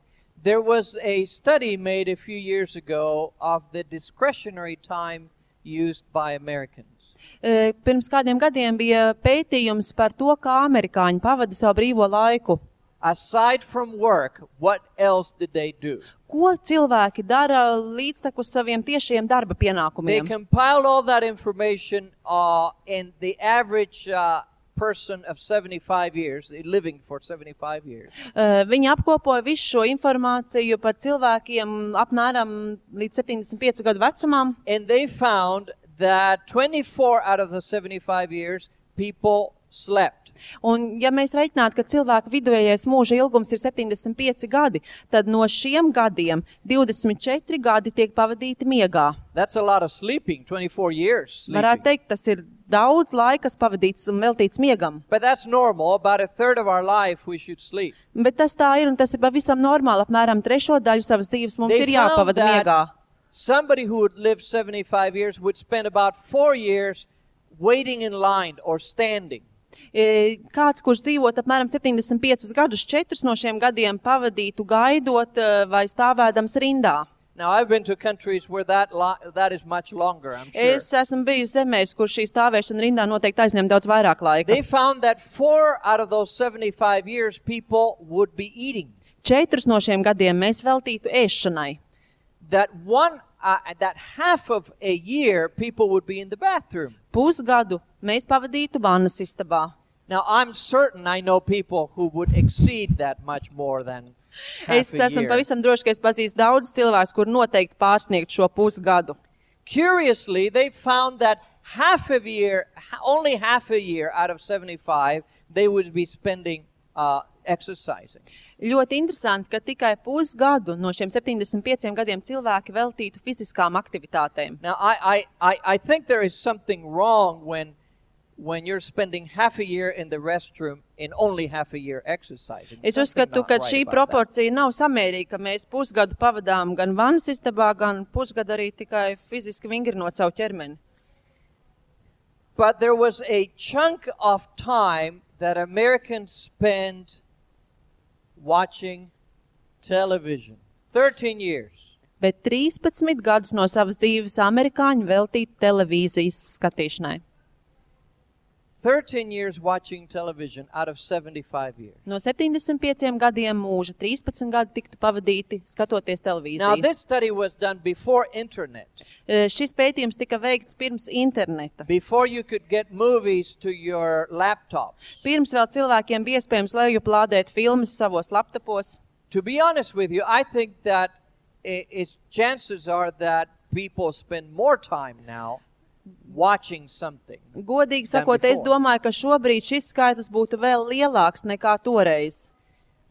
There was a study made a few years ago of the discretionary time used by Americans. E, Pirms kādiem gadiem bija pētījums par to, kā amerikāņi pavada savu brīvo laiku. Aside from work, what else did they do? Ko cilvēki dara līdztekus saviem tiešiem darba They pienākumiem? compiled all that information uh, and the average uh, person of seventy-five years, living for seventy-five years. Uh, viņi apkopoja visu šo informāciju par cilvēkiem apmēram līdz septiņdesmit piecu gadu vecumam. And they found that twenty-four out of the seventy-five years, people slept. Un, ja mēs reiķinātu, ka cilvēka vidējais mūža ilgums ir septiņdesmit pieci gadi, tad no šiem gadiem divdesmit četri gadi tiek pavadīti miegā. That's a lot of sleeping, twenty-four years sleeping. Varētu teikt, tas ir daudz laika, kas pavadīts un veltīts miegam. But that's normal. About a third of our life we should sleep. Bet tas tā ir, un tas ir pavisam normāli. Apmēram trešo daļu savas dzīves mums They ir jāpavada found that miegā. Somebody who would live seventy-five years would spend about four years waiting in line or standing. E, Kāds, kurš dzīvot apmēram septiņdesmit piecus gadus, četrus no šiem gadiem pavadītu gaidot e, vai stāvēdams rindā. Now, I've been to countries where that li- that is much longer, I'm sure. Es esmu bijusi zemēs, kur šī stāvēšana rindā noteikti aizņem daudz vairāk laika. They found that four out of those seventy-five years people would be eating. Četrus no šiem gadiem mēs veltītu ēšanai. That one, uh, that half of a year people would be in the bathroom. Pusgadu mēs pavadītu vannas istabā. Now, I'm certain I know people who would exceed that much more than half Es a esmu year. pavisam droši, ka es pazīstu daudz cilvēkus, kur noteikti pārsniegt šo pusgadu. Curiously, they found that half a year, ha- only half a year out of seventy-five, they would be spending uh, exercising. Ļoti interesanti, ka tikai pusgadu no šiem septiņdesmit pieciem gadiem cilvēki veltītu fiziskām aktivitātēm. Now, I, I, I, I think there is something wrong when, when you're spending half a year in the restroom and only half a year exercising. Es Something uzskatu, not ka right šī about that. proporcija nav samērīga, ka mēs pusgadu pavadām gan vannas istabā, gan pusgadu arī tikai fiziski vingrinot savu ķermeni. But there was a chunk of time that Americans spend watching television. thirteen years. Bet trīspadsmit gadus no savas dzīves amerikāņi veltītu televīzijas skatīšanai. thirteen years watching television out of seventy-five years. No septiņdesmit pieciem gadiem mūža trīspadsmit gadi tiktu pavadīti skatoties Now, televīziju. this study was done before internet, E, Šis pētījums tika veikts pirms interneta. before you could get movies to your laptop. Pirms vēl cilvēkiem bija iespējams lejuplādēt filmas savos laptopos. To be honest with you, I think that i- it's chances are that people spend more time now watching something. Godīgi Than sakot, es before. domāju, ka šobrīd šis skaitlis būtu vēl lielāks nekā toreiz.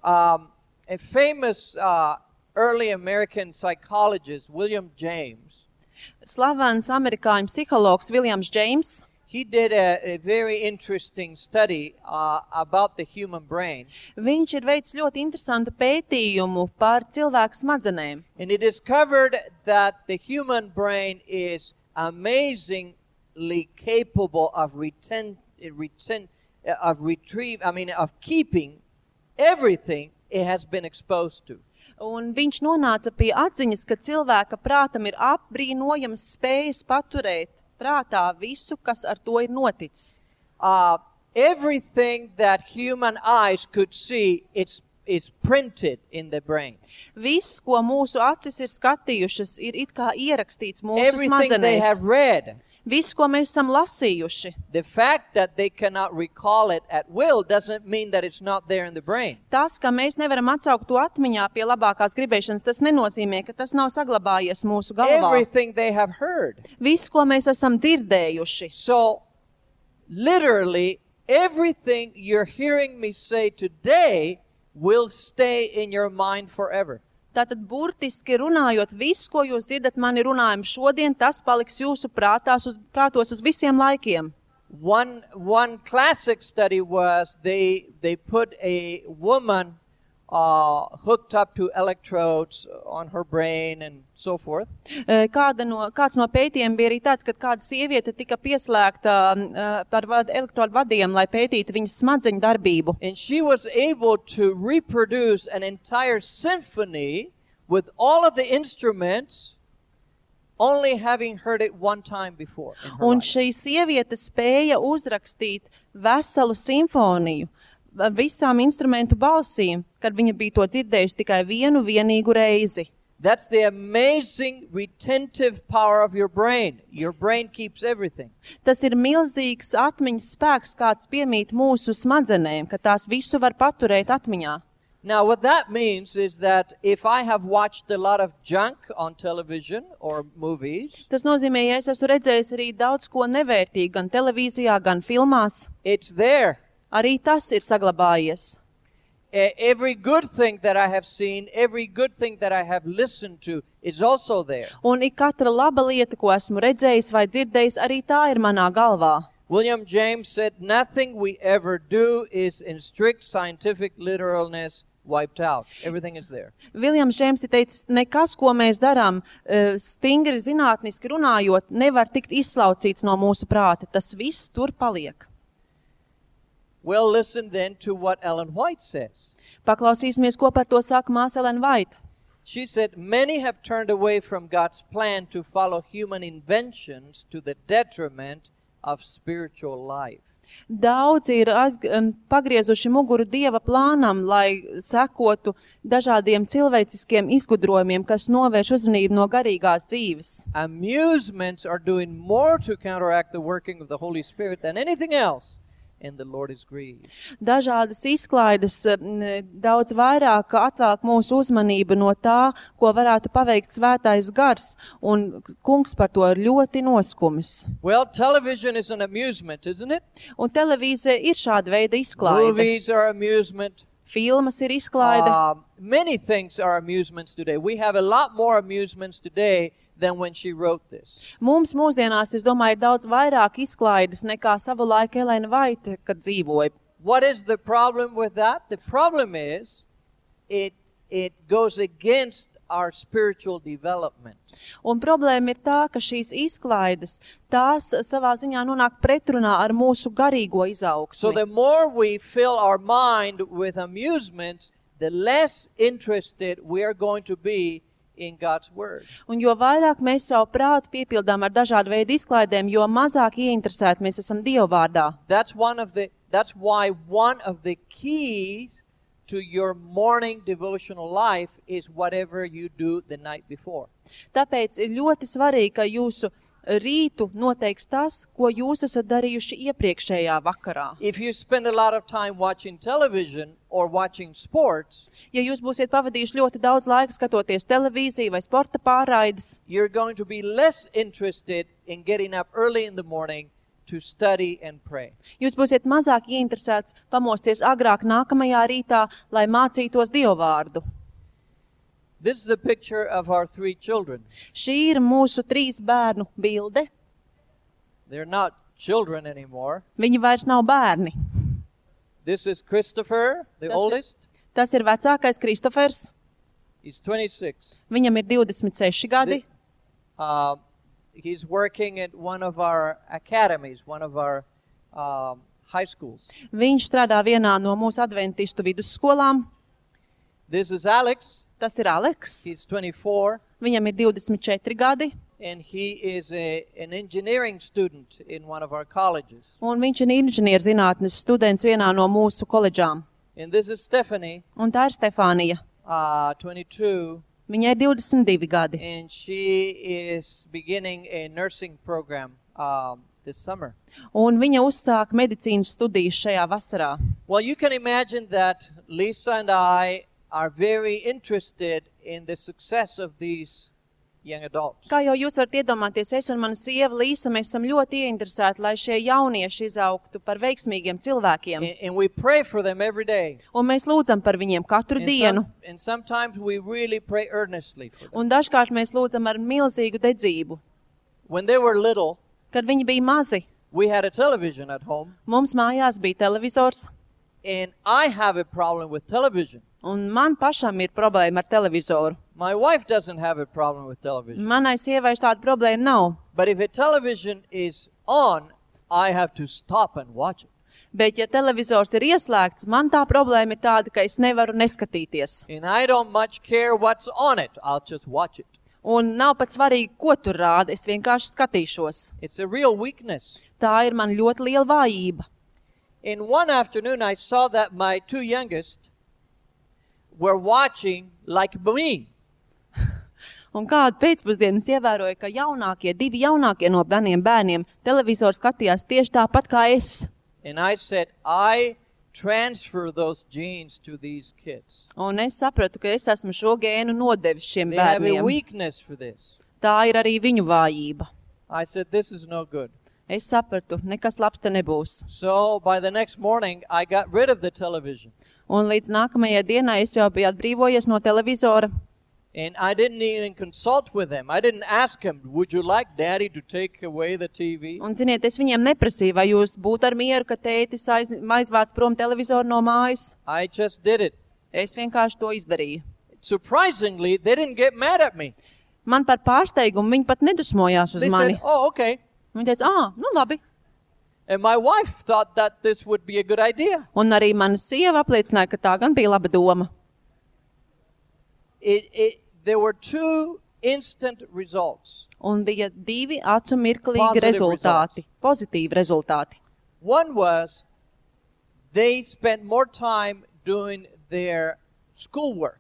Um, a famous uh, early American psychologist, William James, Slavens amerikāņu psihologs Viljams Džeims, he did a, a very interesting study uh, about the human brain. viņš ir veicis ļoti interesantu pētījumu par cilvēku smadzenēm. And he discovered that the human brain is amazingly capable of reten, reten, of retrieve, I mean, of keeping everything it has been exposed to. Un viņš nonāca pie atziņas, ka cilvēka prātam ir apbrīnojams spējas paturēt prātā visu, kas ar to ir noticis. Uh, everything that human eyes could see, it's is printed in the brain. Viss, ko mūsu acis ir skatījušas, ir it kā ierakstīts mūsu Everything they smadzenēs. have read. Viss, ko mēs esam lasījuši. The fact that they cannot recall it at will doesn't mean that it's not there in the brain. Tas, ka mēs nevaram atsaukt to atmiņā pie labākās gribēšanas, tas nenozīmē, ka tas nav saglabājies mūsu galvā. Everything they have heard. Viss, ko mēs esam dzirdējuši. So, literally, everything you're hearing me say today will stay in your mind forever. Tātad burtiski runājot, viss, ko jūs dzirdat mani runājumu šodien, tas paliks jūsu prātās uz, prātos uz visiem laikiem. One one classic study was they they put a woman uh, hooked up to electrodes on her brain and so forth. E, Kāda no, kāds no pētījumiem bija arī tāds, ka kāda sieviete tika pieslēgta uh, par vad, elektrodu vadiem, lai pētītu viņas smadzeņu darbību. And she was able to reproduce an entire symphony with all of the instruments, only having heard it one time before in her Un life. šī sieviete spēja uzrakstīt veselu simfoniju ar visām instrumentu balsīm, kad viņa bija to dzirdējusi tikai vienu vienīgu reizi. That's the amazing retentive power of your brain. Your brain keeps everything. Tas ir milzīgs atmiņas spēks, kāds piemīt mūsu smadzenēm, ka tās visu var paturēt atmiņā. Now, what that means is that if I have watched a lot of junk on television or movies, Tas nozīmē, ja es esmu redzējis arī daudz ko nevērtīgu gan televīzijā, gan filmās, it's there. arī tas ir saglabājies. E- Every good thing that I have seen, every good thing that I have listened to is also there. Un ik katra laba lieta, ko esmu redzējis vai dzirdējis, arī tā ir manā galvā. William James said, nothing we ever do is in strict scientific literalness wiped out. Everything is there. Viljams Džeims ir teicis, nekas, ko mēs darām, eh, stingri zinātniski runājot, nevar tikt izslaucīts no mūsu prāta. Tas viss tur paliek. Well, listen then to what Ellen White says. Paklausīsimies, ko par to saka māsa Ellen White. She said, many have turned away from God's plan to follow human inventions to the detriment of spiritual life. Daudz ir aiz, um, pagriezuši muguru Dieva plānam, lai sekotu dažādiem cilvēciskiem izgudrojumiem, kas novērš uzmanību no garīgās dzīves. Amusements are doing more to counteract the working of the Holy Spirit than anything else, and the Lord is grieved. Dažādas izklaides um, daudz vairāk atvelk mūsu uzmanību no tā, ko varētu paveikt svētais gars, un kungs par to ir ļoti noskumis. Well, television is an amusement, isn't it? Un televīzija ir šāda veida izklaide. Movies are amusement. Filmas ir izklaide. Um, many things are amusements today. We have a lot more amusements today than when she wrote this. Mums mūsdienās, es domāju, ir daudz vairāk izklaides nekā savu laiku Elena Vaita, kad dzīvoja. What is the problem with that? The problem is it it goes against our spiritual development. Un problēma ir tā, ka šīs izklaides, tās savā ziņā nonāk pretrunā ar mūsu garīgo So izaugsmi. the more we fill our mind with amusements, the less interested we are going to be in God's Word. Un jo vairāk mēs savu prātu piepildām ar dažādu veidu izklaidēm, jo mazāk ieinteresēti mēs esam Dieva vārdā. That's one of the that's why one of the keys to your morning devotional life is whatever you do the night before. Tāpēc ir ļoti svarīgi, ka jūsu rītu noteiks tas, ko jūs esat darījuši iepriekšējā vakarā. If you spend a lot of time watching television or watching sports, Ja jūs būsiet pavadījuši ļoti daudz laika skatoties televīziju vai sporta pārraides, you're going to be less interested in getting up early in the morning to study and pray. jūs būsiet mazāk ieinteresēts pamosties agrāk nākamajā rītā, lai mācītos Dievu vārdu. This is a picture of our three children. Šī ir mūsu trīs bērnu bilde. They're not children anymore. Viņi vairs nav bērni. This is Christopher, the Tas ir- oldest. Tas ir vecākais Kristofers. He's twenty-six. Viņam ir divdesmit seši gadi. Uh, he's working at one of our academies, one of our um, high schools. Viņš strādā vienā no mūsu adventistu vidusskolām. This is Alex. Tas ir Aleks. He's twenty-four, Viņam ir divdesmit četri gadi. and he is a, an engineering student in one of our colleges. Un viņš ir inženierzinātnes students vienā no mūsu koledžām. And this is Stephanie, Un tā ir Stefānija. uh, twenty-two, Viņai ir divdesmit divi gadi. and she is beginning a nursing program um, this summer. Un viņa uzsāk medicīnas studijas šajā vasarā. Well, you can imagine that Lisa and I are very interested in the success of these young adults. Kā jau jūs varat iedomāties, es un mana sieva Līsa, mēs esam ļoti ieinteresēti, lai šie jaunieši izaugtu par veiksmīgiem cilvēkiem. And, and we pray for them every day. Un mēs lūdzam par viņiem katru And, dienu. some, and sometimes we really pray earnestly for them. Un dažkārt mēs lūdzam ar milzīgu dedzību. When they were little, Kad viņi bija mazi, we had a television at home, mums mājās bija televizors, and I have a problem with television. un man pašam ir problēma ar televizoru. My wife doesn't have a problem with television. Manai sievai tāda problēma nav. But if a television is on, I have to stop and watch it. Bet, ja televizors ir ieslēgts, man tā problēma ir tāda, ka es nevaru neskatīties. And I don't much care what's on it. I'll just watch it. Un nav pat svarīgi, ko tur rāda, es vienkārši skatīšos. It's a real weakness. Tā ir man ļoti liela vājība. In one afternoon, I saw that my two youngest were watching like me. Un kādu pēcpusdienu es ievēroju, ka jaunākie, divi jaunākie no maniem bērniem televizoru skatījās tieši tāpat kā es. And I said, I transfer those genes to these kids. Un es sapratu, ka es esmu šo gēnu nodevis šiem They have a bērniem. weakness for this. Tā ir arī viņu vājība. I said, this is no good. Es sapratu, nekas labs te nebūs. So by the next morning, I got rid of the television. Un līdz nākamajai dienai es jau biju atbrīvojies no televizora. And I didn't even consult with them. I didn't ask him, would you like daddy to take away the T V? Un, ziniet, es viņiem neprasīju, vai jūs būtu ar mieru, ka tētis aiz, aizvāc prom televizoru no mājas. I just did it. Es vienkārši to izdarīju. Surprisingly, they didn't get mad at me. Man par pārsteigumu viņi pat nedusmojās uz They mani. said, oh, okay. Viņi teica, ā, nu labi. And my wife thought that this would be a good idea. Un arī mana sieva apliecināja, ka tā gan bija laba doma. It, it, there were two instant results. Un bija divi acu mirklīgi Positive rezultāti, pozitīvi rezultāti. One was they spent more time doing their schoolwork.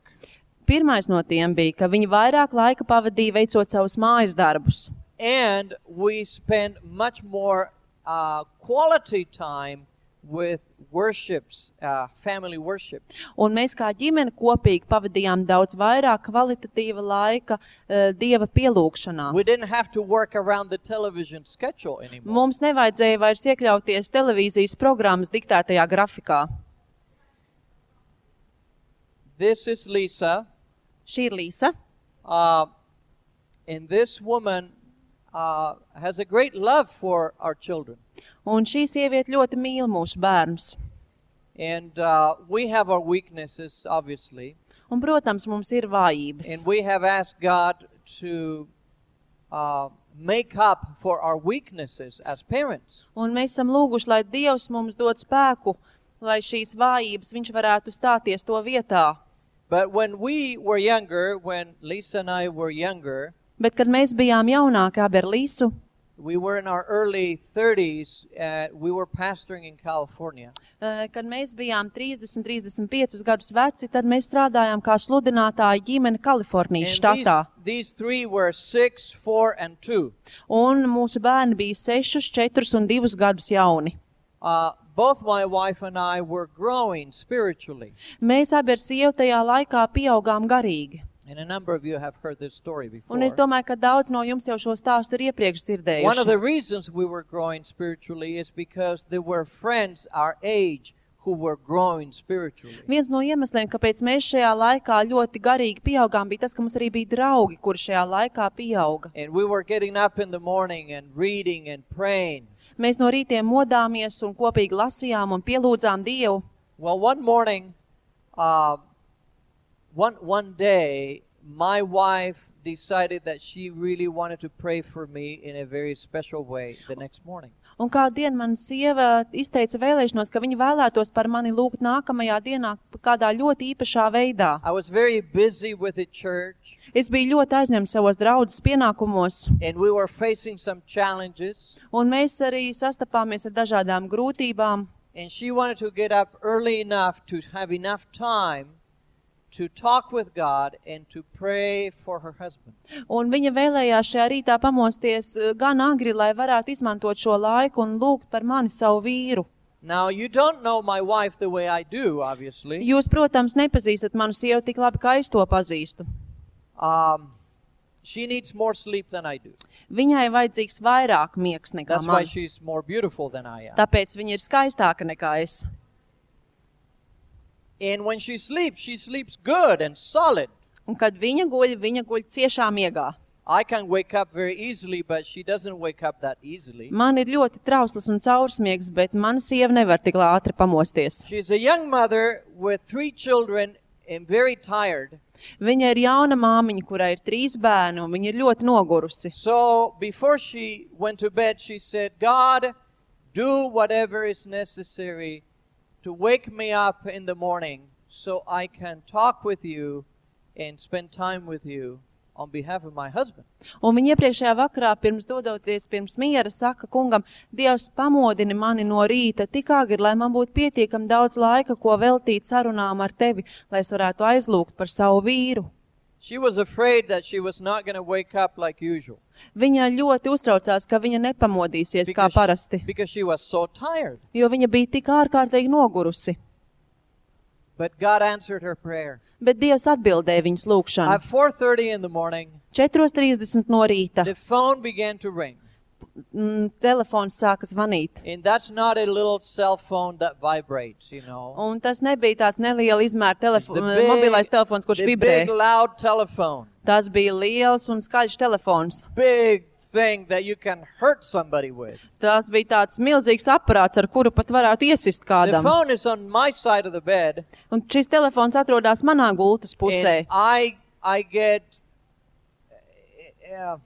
Pirmais no tiem bija, ka viņi vairāk laika pavadīja veicot savus mājas darbus. And we spent much more uh, quality time with worships, uh, family worship. Un mēs kā ģimene kopīgi pavadījām daudz vairāk kvalitatīva laika uh, Dieva pielūgšanā. We didn't have to work around the television schedule anymore. Mums nevajadzēja vairs iekļauties televīzijas programmas diktētajā grafikā. This is Lisa. Šī ir Līsa. Uh, and this woman uh, has a great love for our children. Un šī sieviete ļoti mīl mūsu bērnus. And uh, we have our weaknesses, obviously. Un, protams, mums ir vājības. And we have asked God to uh, make up for our weaknesses as parents. Un mēs esam lūguši, lai Dievs mums dod spēku, lai šīs vājības viņš varētu stāties to vietā. But when we were younger, when Lisa and I were younger, Bet, kad mēs bijām jaunāki abi ar Līsu, we were in our early thirties, uh, we were pastoring in California. eh, kad mēs bijām trīsdesmit, trīsdesmit piecus gadus veci, tad mēs strādājām kā sludinātāji ģimene Kalifornijas And štatā. these, these three were six, four, and two. Un mūsu bērni bija sešus, četrus un divus gadus jauni. Uh, both my wife and I were growing spiritually. Mēs abi ar sievu tajā laikā pieaugām garīgi. And a number of you have heard this story before. Un es domāju, ka daudz no jums jau šo stāstu ir iepriekš One of the dzirdējuši. reasons we were growing spiritually is because there were friends our age who were growing spiritually. Viens no iemesliem, kāpēc mēs šajā laikā ļoti garīgi pieaugām, bija tas, ka mums arī bija draugi, kuri šajā laikā pieauga. And we were getting up in the morning and reading and praying. Mēs no rītiem modāmies un kopīgi lasījām un pielūdzām Dievu. Well, one morning, um, one, one day, my wife decided that she really wanted to pray for me in a very special way the next morning. Un kādu dienu man sieva izteica vēlēšanos, ka viņa vēlētos par mani lūgt nākamajā dienā kādā ļoti īpašā veidā. I was very busy with the church, Es biju ļoti aizņemts savos draudzes pienākumos, and we were facing some challenges. un mēs arī sastapāmies ar dažādām grūtībām. And she wanted to get up early enough to have enough time to talk with God and to pray for her husband. Un viņa vēlējās šajā rītā pamosties eh, gan agri, lai varētu izmantot šo laiku un lūgt par mani savu vīru. Now, you don't know my wife the way I do, obviously. Jūs, protams, nepazīstat manu sievu tik labi, kā es to pazīstu. Um, she needs more sleep than I do. Viņai vajadzīgs vairāk miegs nekā That's why man. she's more beautiful than I am. Tāpēc viņa ir skaistāka nekā es. And when she sleeps, she sleeps good and solid. Un kad viņa guļ, viņa guļ ciešā miegā. I can wake up very easily, but she doesn't wake up that easily. Man ir ļoti trausls un caursmiegs, bet mana sieva nevar tik ātri pamosties. She's a young mother with three children and very tired. Viņa ir jauna māmiņa, kurai ir trīs bērni, un viņa ir ļoti nogurusi. So before she went to bed, she said, God, do whatever is necessary to wake me up in the morning so I can talk with you and spend time with you on behalf of my husband. Un viņa iepriekšējā vakarā, pirms dodoties pirms miera, saka kungam, Dievs pamodini mani no rīta tik agri, lai man būtu pietiekami daudz laika, ko veltīt sarunām ar tevi, lai es varētu aizlūgt par savu vīru. She was afraid that she was not going to wake up like usual. Viņa ļoti uztraucās, ka viņa nepamodīsies kā Because, parasti, because she was so tired. jo viņa bija tik ārkārtīgi nogurusi. But God answered her prayer. Bet Dievs atbildēja viņas lūgšanu. At four thirty in the morning, četros trīsdesmit no rīta the phone began to ring. mm, telefons sāka zvanīt. And that's not a little cell phone that vibrates, you know. Un tas nebija tāds neliela izmēra It's telefo the big, mobilais telefons, kurš the vibrē. big loud telephone. Tas bija liels un skaļš telefons. Big thing that you can hurt somebody with. Tas bija tāds milzīgs aparāts, ar kuru pat varētu iesist The kādam. phone is on my side of the bed. Un šis telefons atrodas manā gultas pusē. And I, I get, uh,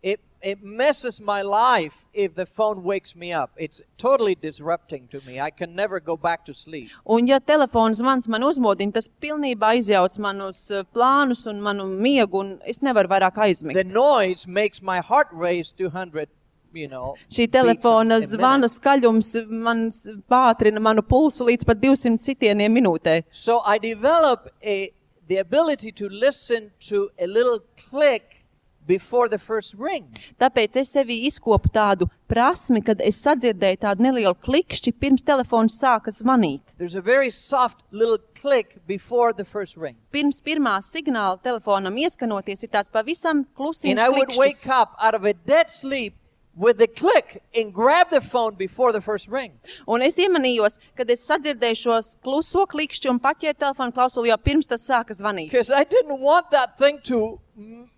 it, it messes my life if the phone wakes me up. It's totally disrupting to me. I can never go back to sleep. Un ja telefons zvans man uzmodina, tas pilnībā izjauc manus uh, plānus un manu miegu, un es nevaru vairāk The aizmigt. noise makes my heart race two hundred, you know. Šī beats a- telefona a zvana minute. skaļums man s- pātrina manu pulsu līdz pat divsimt sitieniem minūtē. So I develop a, the ability to listen to a little click before the first ring. Tāpēc es sevī izkopu tādu prasmi, kad es sadzirdēju tādu nelielu klikšķi pirms telefons sāka zvanīt. There's a very soft little click before the first ring. Pirms pirmā signāla telefonam ieskanoties ir tāds pavisam And klusiņš I would wake klikšķis. up out of a dead sleep with the click and grab the phone before the first ring. Un es iemanījos, kad es sadzirdēju šos kluso klikšķi un paķēru telefonu klausuli jau pirms tas sāka zvanīt. Because I didn't want that thing to, mm,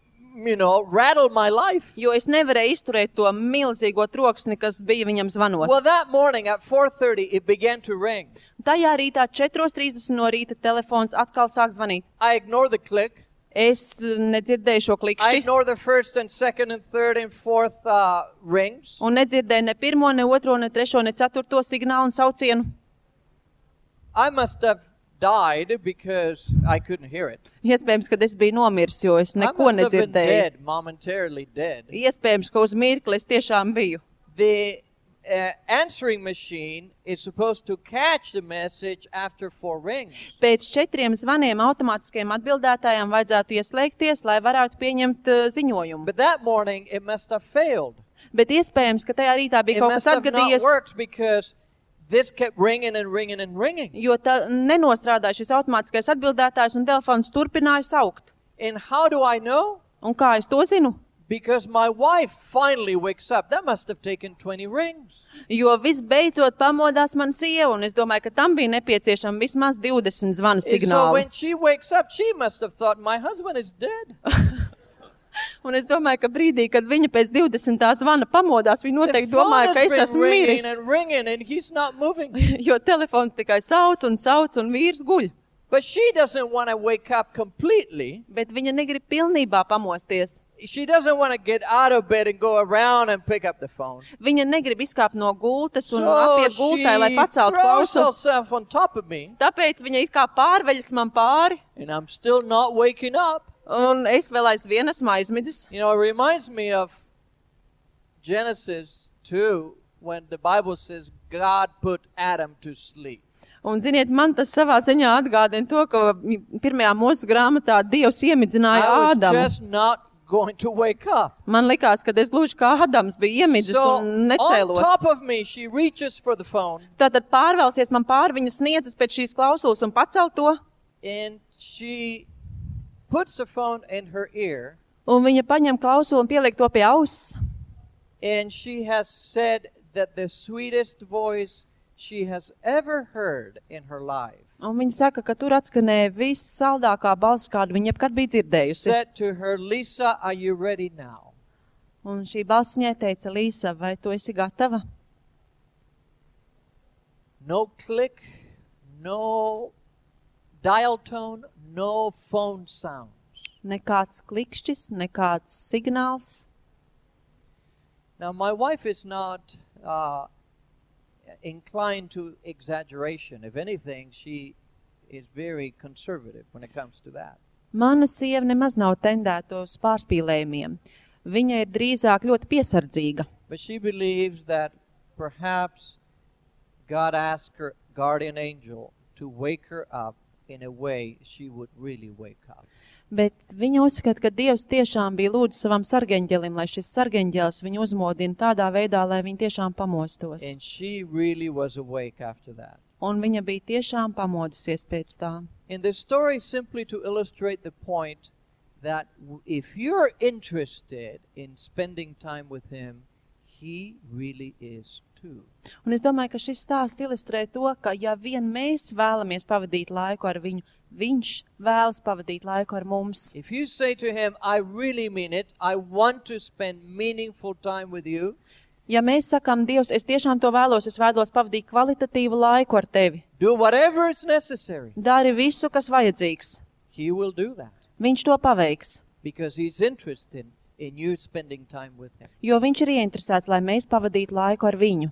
you know, rattle my life. Jo es nevarēju izturēt to milzīgo troksni, kas bija viņam zvanot. Well, that morning at four thirty, it began to ring. Tajā rītā četros trīsdesmit no rīta telefons atkal sāk zvanīt. I ignored the click. Es uh, nedzirdēju šo I klikšķi ignored the first and second and third and fourth uh, rings. un nedzirdēju ne pirmo, ne otro, ne trešo, ne ceturto signālu un saucienu. I must have died because I couldn't hear it. Iespējams, ka es biju nomiris, jo es I neko must have been nedzirdēju. dead, momentarily dead. Iespējams, ka uz mirkli es tiešām biju. The uh, answering machine is supposed to catch the message after four rings. Pēc četriem zvaniem automātiskajam atbildētājam vajadzētu ieslēgties, lai varētu pieņemt uh, ziņojumu. But that morning, it must have failed. Bet iespējams, ka tajā rītā It bija kaut must kas have not atgadījies, worked because this kept ringing and ringing and ringing. jo tā nenostrādāja šis automātiskais atbildētājs un telefons turpināja saukt. And how do I know? Un kā es to zinu? Because my wife finally wakes up. That must have taken twenty rings. Jo visbeidzot pamodās man sieva, un es domāju, ka tam bija nepieciešama vismaz divdesmit zvana And so signāli. when she wakes up, she must have thought, my husband is dead. Un es domāju, ka brīdī, kad viņa pēc divdesmitā zvana pamodās, viņa The noteikti phone domāja, ka has es been esmu ringing miris. and ringing and he's not moving. Jo telefons tikai sauc un sauc un vīrs guļ. But she doesn't want to wake up completely. Bet viņa negrib pilnībā pamosties. She doesn't want to get out of bed and go around and pick up the phone. Viņa negrib izkāpt no gultas un So apiet gultai, lai she paceltu throws klausu. herself on top of me, Tāpēc viņa it kā pārveļas man pāri, and I'm still not waking up. un es vēl aizvien esmu aizmidzis. You know, it reminds me of Genesis two, when the Bible says God put Adam to sleep. Un, ziniet, man tas savā ziņā atgādina to, ka pirmajā mūsu grāmatā Dievs iemidzināja I was Ādamu. just not going to wake up. Man likās, ka es gluži kā Ādams biju iemidzis So un on necēlos. top of me, she reaches for the phone, Tātad pārvelsies man pāri, viņa sniedzas pēc šīs klausulas un pacel to, and she puts the phone in her ear, un viņa paņem klausuli un pieliek to pie auss. and she has said that the sweetest voice she has ever heard in her life Un viņa saka, ka tur atskanēja vissaldākā balss, kādu viņa jebkad bija dzirdējusi. said to her, Lisa, are you ready now? Un šī balss viņai teica, Līsa, vai tu esi gatava? No click, no dial tone, no phone sounds. Nekāds klikšķis, nekāds signāls. Now, my wife is not uh, inclined to exaggeration. If anything, she is very conservative when it comes to that. Mana sieva nemaz nav tendēta uz pārspīlējumiem. Viņa ir drīzāk ļoti piesardzīga. But she believes that perhaps God asked her guardian angel to wake her up in a way she would really wake up. Bet viņa uzskata, ka Dievs tiešām bija lūdzu savam sargeņģelim, lai šis sargeņģelis viņu uzmodina tādā veidā, lai viņa tiešām pamostos. And she really was awake after that. Un viņa bija tiešām pamodusies pēc tā. In the story, simply to illustrate the point that if you're interested in spending time with him, he really is too. Un es domāju, ka šis stāsts ilustrē to, ka ja vien mēs vēlamies pavadīt laiku ar viņu, viņš vēlas pavadīt laiku ar mums. If you say to him, I really mean it, I want to spend meaningful time with you, Ja mēs sakām, Dievs, es tiešām to vēlos, es vēlos pavadīt kvalitatīvu laiku ar tevi. do whatever is necessary, Dari visu, kas vajadzīgs. he will do that Viņš to paveiks, because he's interested in you spending time with him. jo viņš ir ieinteresēts, lai mēs pavadītu laiku ar viņu.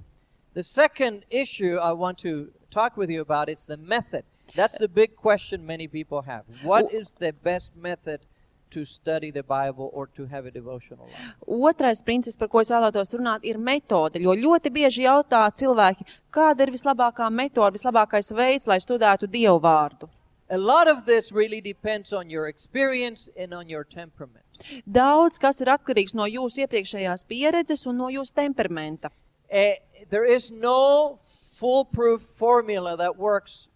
The second issue I want to talk with you about is the method. That's the big question many people have. What is the best method to study the Bible or to have a devotional life? Otrais princips, par ko es vēlētos runāt, ir metode, jo ļoti bieži jautā cilvēki, kāda ir vislabākā metode, vislabākais veids, lai studētu Dievu vārdu. A lot of this really depends on your experience and on your temperament. Daudz, kas ir atkarīgs no jūsu iepriekšējās pieredzes un no jūsu temperamenta. Uh, there is no foolproof formula that works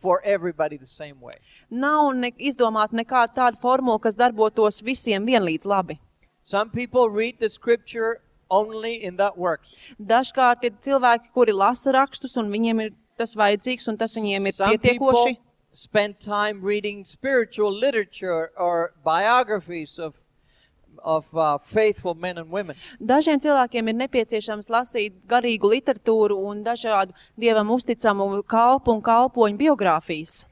for everybody the same way. Nav ne, izdomāta nekāda tāda formula, kas darbotos visiem vienlīdz labi. Some people read the scripture only and that works. Dažkārt ir cilvēki, kuri lasa rakstus, un viņiem ir tas vajadzīgs, un tas viņiem ir Some pietiekoši. people spend time reading spiritual literature or biographies of of uh, faithful men and women. Dažiem cilvēkiem ir nepieciešams lasīt garīgu literatūru un dažādu Dievam uzticamu kalpu un kalpoņu biogrāfijas.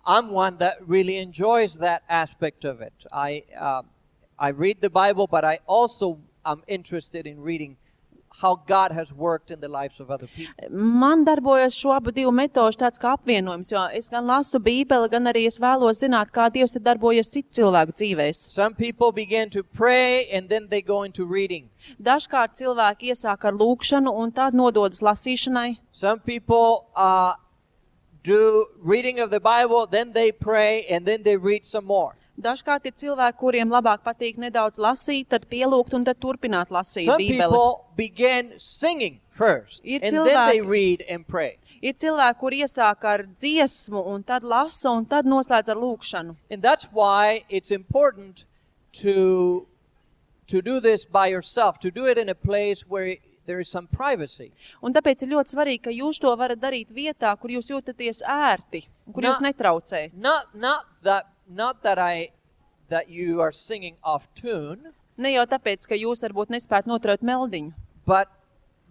I'm one that really enjoys that aspect of it. I uh, I read the Bible, but I also am interested in reading how God has worked in the lives of other people. Man darbojas šo abu divu metožu tāds kā apvienojums, jo es gan lasu Bībeli, gan arī es vēlos zināt, kā Dievs ir darbojies citu cilvēku dzīvēs. Some people begin to pray and then they go into reading. Dažkārt cilvēki iesāk ar lūkšanu un tad nododas lasīšanai. Some people uh, do reading of the Bible, then they pray, and then they read some more. Dažkārt ir cilvēki, kuriem labāk patīk nedaudz lasīt, tad pielūgt un tad turpināt lasīt Some Bībeli. people begin singing first, Ir and then they cilvēki- read and pray. Ir cilvēki, kur iesāk ar dziesmu un tad lasa un tad noslēdz ar lūkšanu. And that's why it's important to, to do this by yourself, to do it in a place where there is some privacy. Un tāpēc ir ļoti svarīgi, ka jūs to varat darīt vietā, kur jūs jūtaties ērti un kur Nā- jūs netraucē. Not, not that, not that I, that you are singing off tune, Ne jau tāpēc, ka jūs varbūt nespētu noturēt meldiņu, but,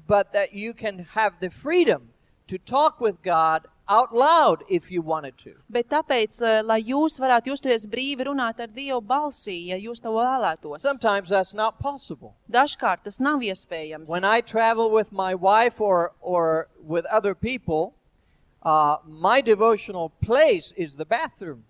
but that you can have the freedom to talk with God out loud if you wanted to. bet tāpēc, lai- lai jūs varētu justies brīvi runāt ar Dievu balsī, ja jūs to vēlētos. Sometimes that's not possible. Dažkārt tas nav iespējams. When I travel with my wife or, or with other people, uh, my devotional place is the bathroom.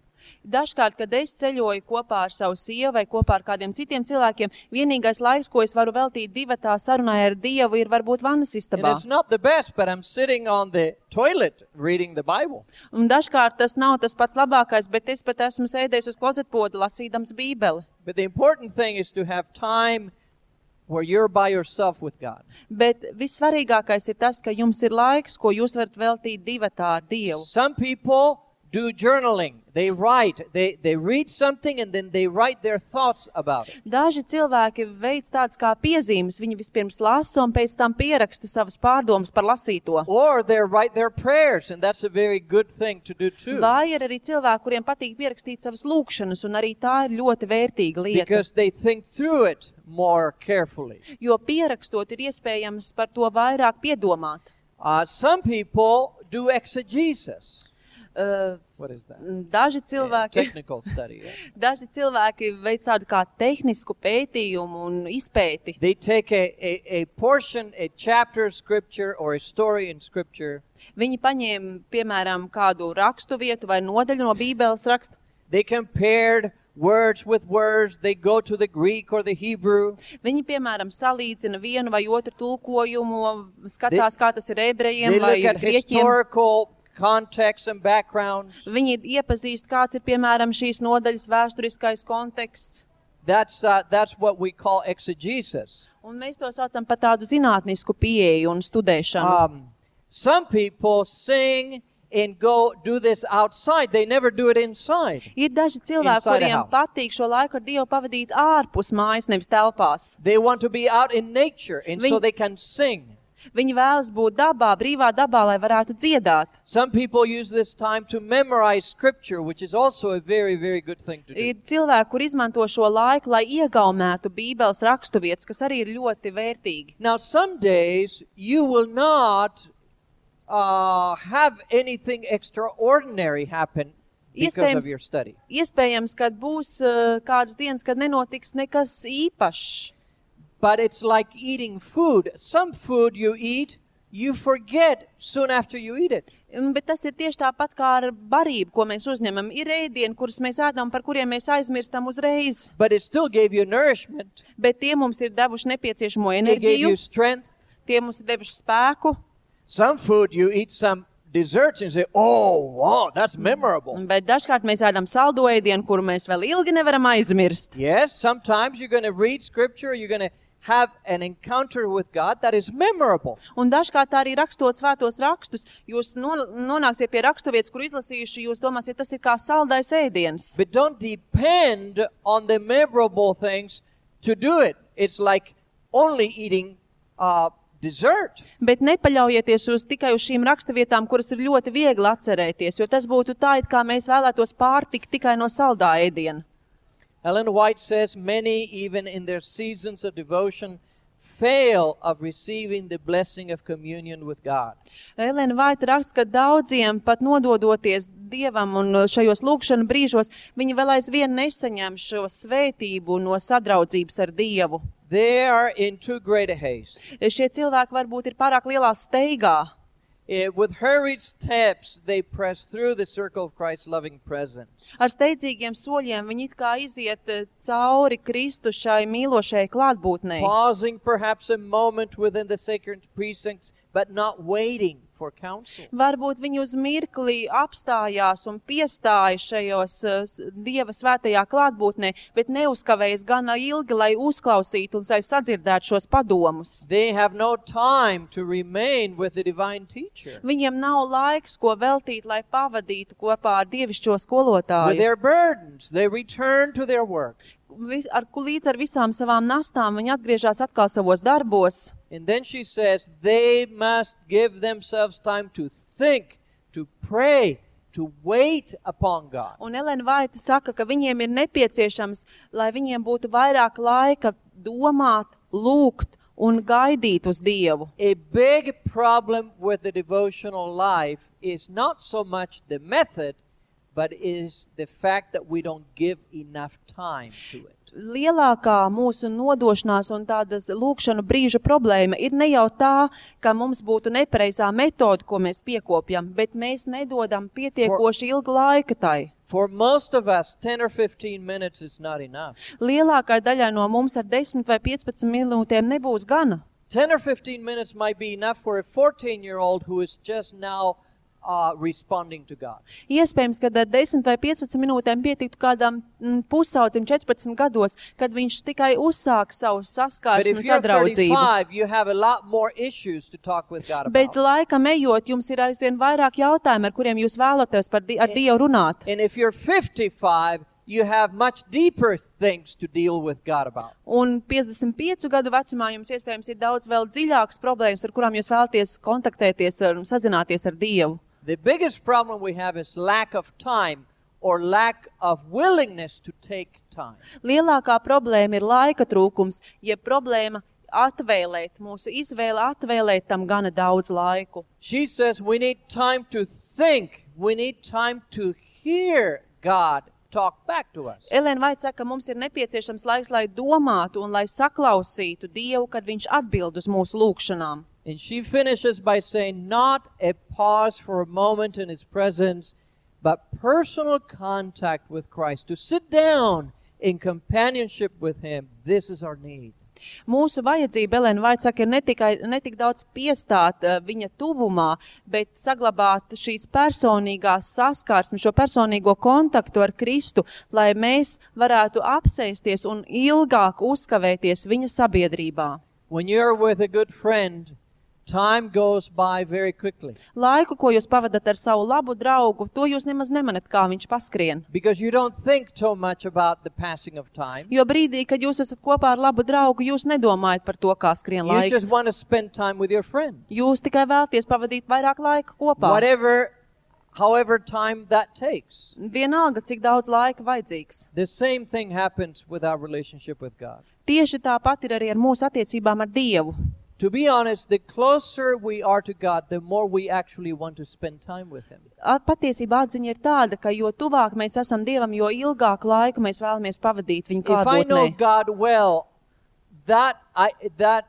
Dažkārt, kad es ceļoju kopā ar savu sievu vai kopā ar kādiem citiem cilvēkiem, vienīgais laiks, ko es varu veltīt divatā sarunai ar Dievu, ir varbūt vannas And istabā. it's not the best, but I'm sitting on the toilet reading the Bible. Un dažkārt tas nav tas pats labākais, bet es pat esmu sēdējis uz klozetpoda lasīdams Bībeli. But the important thing is to have time where you're by yourself with God. Bet vissvarīgākais ir tas, ka jums ir laiks, ko jūs varat veltīt divatā ar Dievu. Some people do journaling. They write, they, they read something and then they write their thoughts about it. Daži cilvēki veic tāds kā piezīmes, viņi vispirms lasa un pēc tam pieraksta savas pārdomas par lasīto. Or they write their prayers, and that's a very good thing to do too. Vai ir arī cilvēki, kuriem patīk pierakstīt savas lūkšanas, un arī tā ir ļoti vērtīga lieta. Because they think through it more carefully. Jo pierakstot ir iespējams par to vairāk piedomāt. Uh, some people do exegesis. Uh, What is that? daži Yeah, cilvēki, technical study. Yeah. daži cilvēki veic tādu kā tehnisku pētījumu un izpēti. They take a, a, a portion, a chapter of scripture or a story in scripture. Viņi paņēma, piemēram, kādu rakstu vietu vai nodaļu no Bībeles raksta. They compared words with words. They go to the Greek or the Hebrew. Viņi, piemēram, salīdzina vienu vai otru tulkojumu, skatās, kā tas ir ebrejiem They vai look at grieķiem. historical context and backgrounds. Viņi iepazīst, kāds ir, piemēram, šīs nodaļas vēsturiskais konteksts. That's, uh, that's what we call exegesis. Un mēs to saucam par tādu zinātnisku pieeju un studēšanu. Um, some people sing and go do this outside. They never do it inside. Ir daži cilvēki, Inside a kuriem house. patīk šo laiku ar Dievu pavadīt ārpus mājas, nevis telpās. They want to be out in nature, and so Viņi- they can sing. Viņi vēlas būt dabā, brīvā dabā, lai varētu dziedāt. Some people use this time to memorize scripture, which is also a very, very good thing to do. Ir cilvēki, kur izmanto šo laiku, lai iegaumētu Bībeles raksturvietas, kas arī ir ļoti vērtīgi. Now, some days you will not uh, have anything extraordinary happen because of Iespējams- your study. Iespējams, kad būs uh, kādas dienas, kad nenotiks nekas īpašs. But it's like eating food. Some food you eat, you forget soon after you eat it. Un- Bet tas ir tieši tāpat kā ar barību, ko mēs uzņemam. Ir ēdieni, kurus mēs ēdam, par kuriem mēs aizmirstam uzreiz. But it still gave you nourishment. Bet tie mums ir devuši nepieciešamo It gave enerģiju, you strength. tie mums ir devuši spēku. Some food you eat some desserts and say, oh, wow, that's memorable. Bet dažkārt mēs ēdam saldo ēdienu, kuru mēs vēl ilgi nevaram aizmirst. Yes, sometimes you're going to read scripture, you're going to have an encounter with God that is memorable. Un dažkārt arī rakstot svētos rakstus, jūs non- nonāksiet pie raksturvietas, kur izlasījuši, jūs domāsiet, tas ir kā saldais ēdiens. But don't depend on the memorable things to do it. It's like only eating uh, dessert. Bet nepaļaujieties uz tikai uz šīm raksturvietām, kuras ir ļoti viegli atcerēties, jo tas būtu tā, it kā mēs vēlētos pārtikt tikai no saldā ēdiena. Ellen White says, many, even in their seasons of devotion, fail of receiving the blessing of communion with God. Elena Vaita raksta, ka daudziem pat nododoties Dievam un šajos lūkšanu brīžos, viņi vēl aizvien nesaņem šo svētību no sadraudzības ar Dievu. They are in too great a haste. Šie cilvēki varbūt ir pārāk lielā steigā. Eh, with hurried steps, they press through the circle of Christ's loving presence. Ar steidzīgiem soļiem viņi it kā iziet eh, cauri Kristu šai mīlošai klātbūtnei. Pausing perhaps a moment within the sacred precincts, but not waiting for counsel. Varbūt viņi uz mirkli apstājās un piestāja šajos uh, s- Dieva svētajā klātbūtnē, bet neuzkavējas gana ilgi, lai uzklausītu un lai sadzirdētu šos padomus. They have no time to remain with the divine teacher. Viņiem nav laiks, ko veltīt, lai pavadītu kopā ar dievišķo With skolotāju. their burdens, they return to their work. Vis, ar, ku- līdz ar visām savām nastām viņi atgriežas atkal savos darbos. And then she says they must give themselves time to think, to pray, to wait upon God. Un Elena Vaita saka, ka viņiem ir nepieciešams, lai viņiem būtu vairāk laika domāt, lūgt un gaidīt uz Dievu. A big problem with the devotional life is not so much the method, but is the fact that we don't give enough time to it. Lielākā mūsu nodošanās un tādas lūkšanu brīža problēma ir ne jau tā, ka mums būtu nepareizā metoda, ko mēs piekopjam, bet mēs nedodam pietiekoši ilgu laiku tai. For most of us, ten or fifteen minutes is not enough. Lielākai daļai no mums ar desmit vai piecpadsmit minūtēm nebūs gana. ten or fifteen minutes might be enough for a fourteen-year-old who is just now uh, responding to God. Iespējams, ka ar desmit vai piecpadsmit minūtēm pietiktu kādam mm, pusaudzim četrpadsmit gados, kad viņš tikai uzsāk savu But saskarsmi if un you're sadraudzību. thirty-five, you have a lot more issues to talk with God Bet about. laikam ejot, jums ir aizvien vairāk jautājumu, ar kuriem jūs vēlaties par di ar Dievu runāt. And if you're fifty-five, you have much deeper things to deal with God about. Un piecdesmit piecu gadu vecumā jums iespējams ir daudz vēl dziļākas problēmas, ar kurām jūs vēlaties kontaktēties un sazināties ar Dievu. The biggest problem we have is lack of time or lack of willingness to take time. Lielākā problēma ir laika trūkums, ja problēma atvēlēt, mūsu izvēle atvēlēt tam gana daudz laiku. She says we need time to think. We need time to hear God talk back to us. Elena Vaita saka, ka mums ir nepieciešams laiks, lai domātu un lai saklausītu Dievu, kad viņš atbild uz mūsu lūkšanām. And she finishes by saying, not a pause for a moment in His presence, but personal contact with Christ. To sit down in companionship with Him, this is our need. Mūsu vajadzība, Elēna Vaita saka, ir ne tikai ne tik daudz piestāt uh, viņa tuvumā, bet saglabāt šīs personīgās saskarsmes, šo personīgo kontaktu ar Kristu, lai mēs varētu apsēsties un ilgāk uzkavēties viņa sabiedrībā. When you're with a good friend, time goes by very quickly. Laiku, ko jūs pavadat ar savu labu draugu, to jūs nemaz nemanat, kā viņš paskrien. Because you don't think so much about the passing of time. Jo brīdī, kad jūs esat kopā ar labu draugu, jūs nedomājat par to, kā skrien You laiks. just want to spend time with your friend. Jūs tikai vēlties pavadīt vairāk laika kopā. Whatever, however time that takes. Vienalga, cik daudz laika vajadzīgs. The same thing happens with our relationship with God. Tieši tāpat ir arī ar mūsu attiecībām ar Dievu. To be honest, the closer we are to God, the more we actually want to spend time with Him. Patiesībā atziņa ir tāda, ka jo tuvāk mēs esam Dievam, jo ilgāku laiku mēs vēlamies pavadīt viņa If I know klātbūtnē. God well, that I that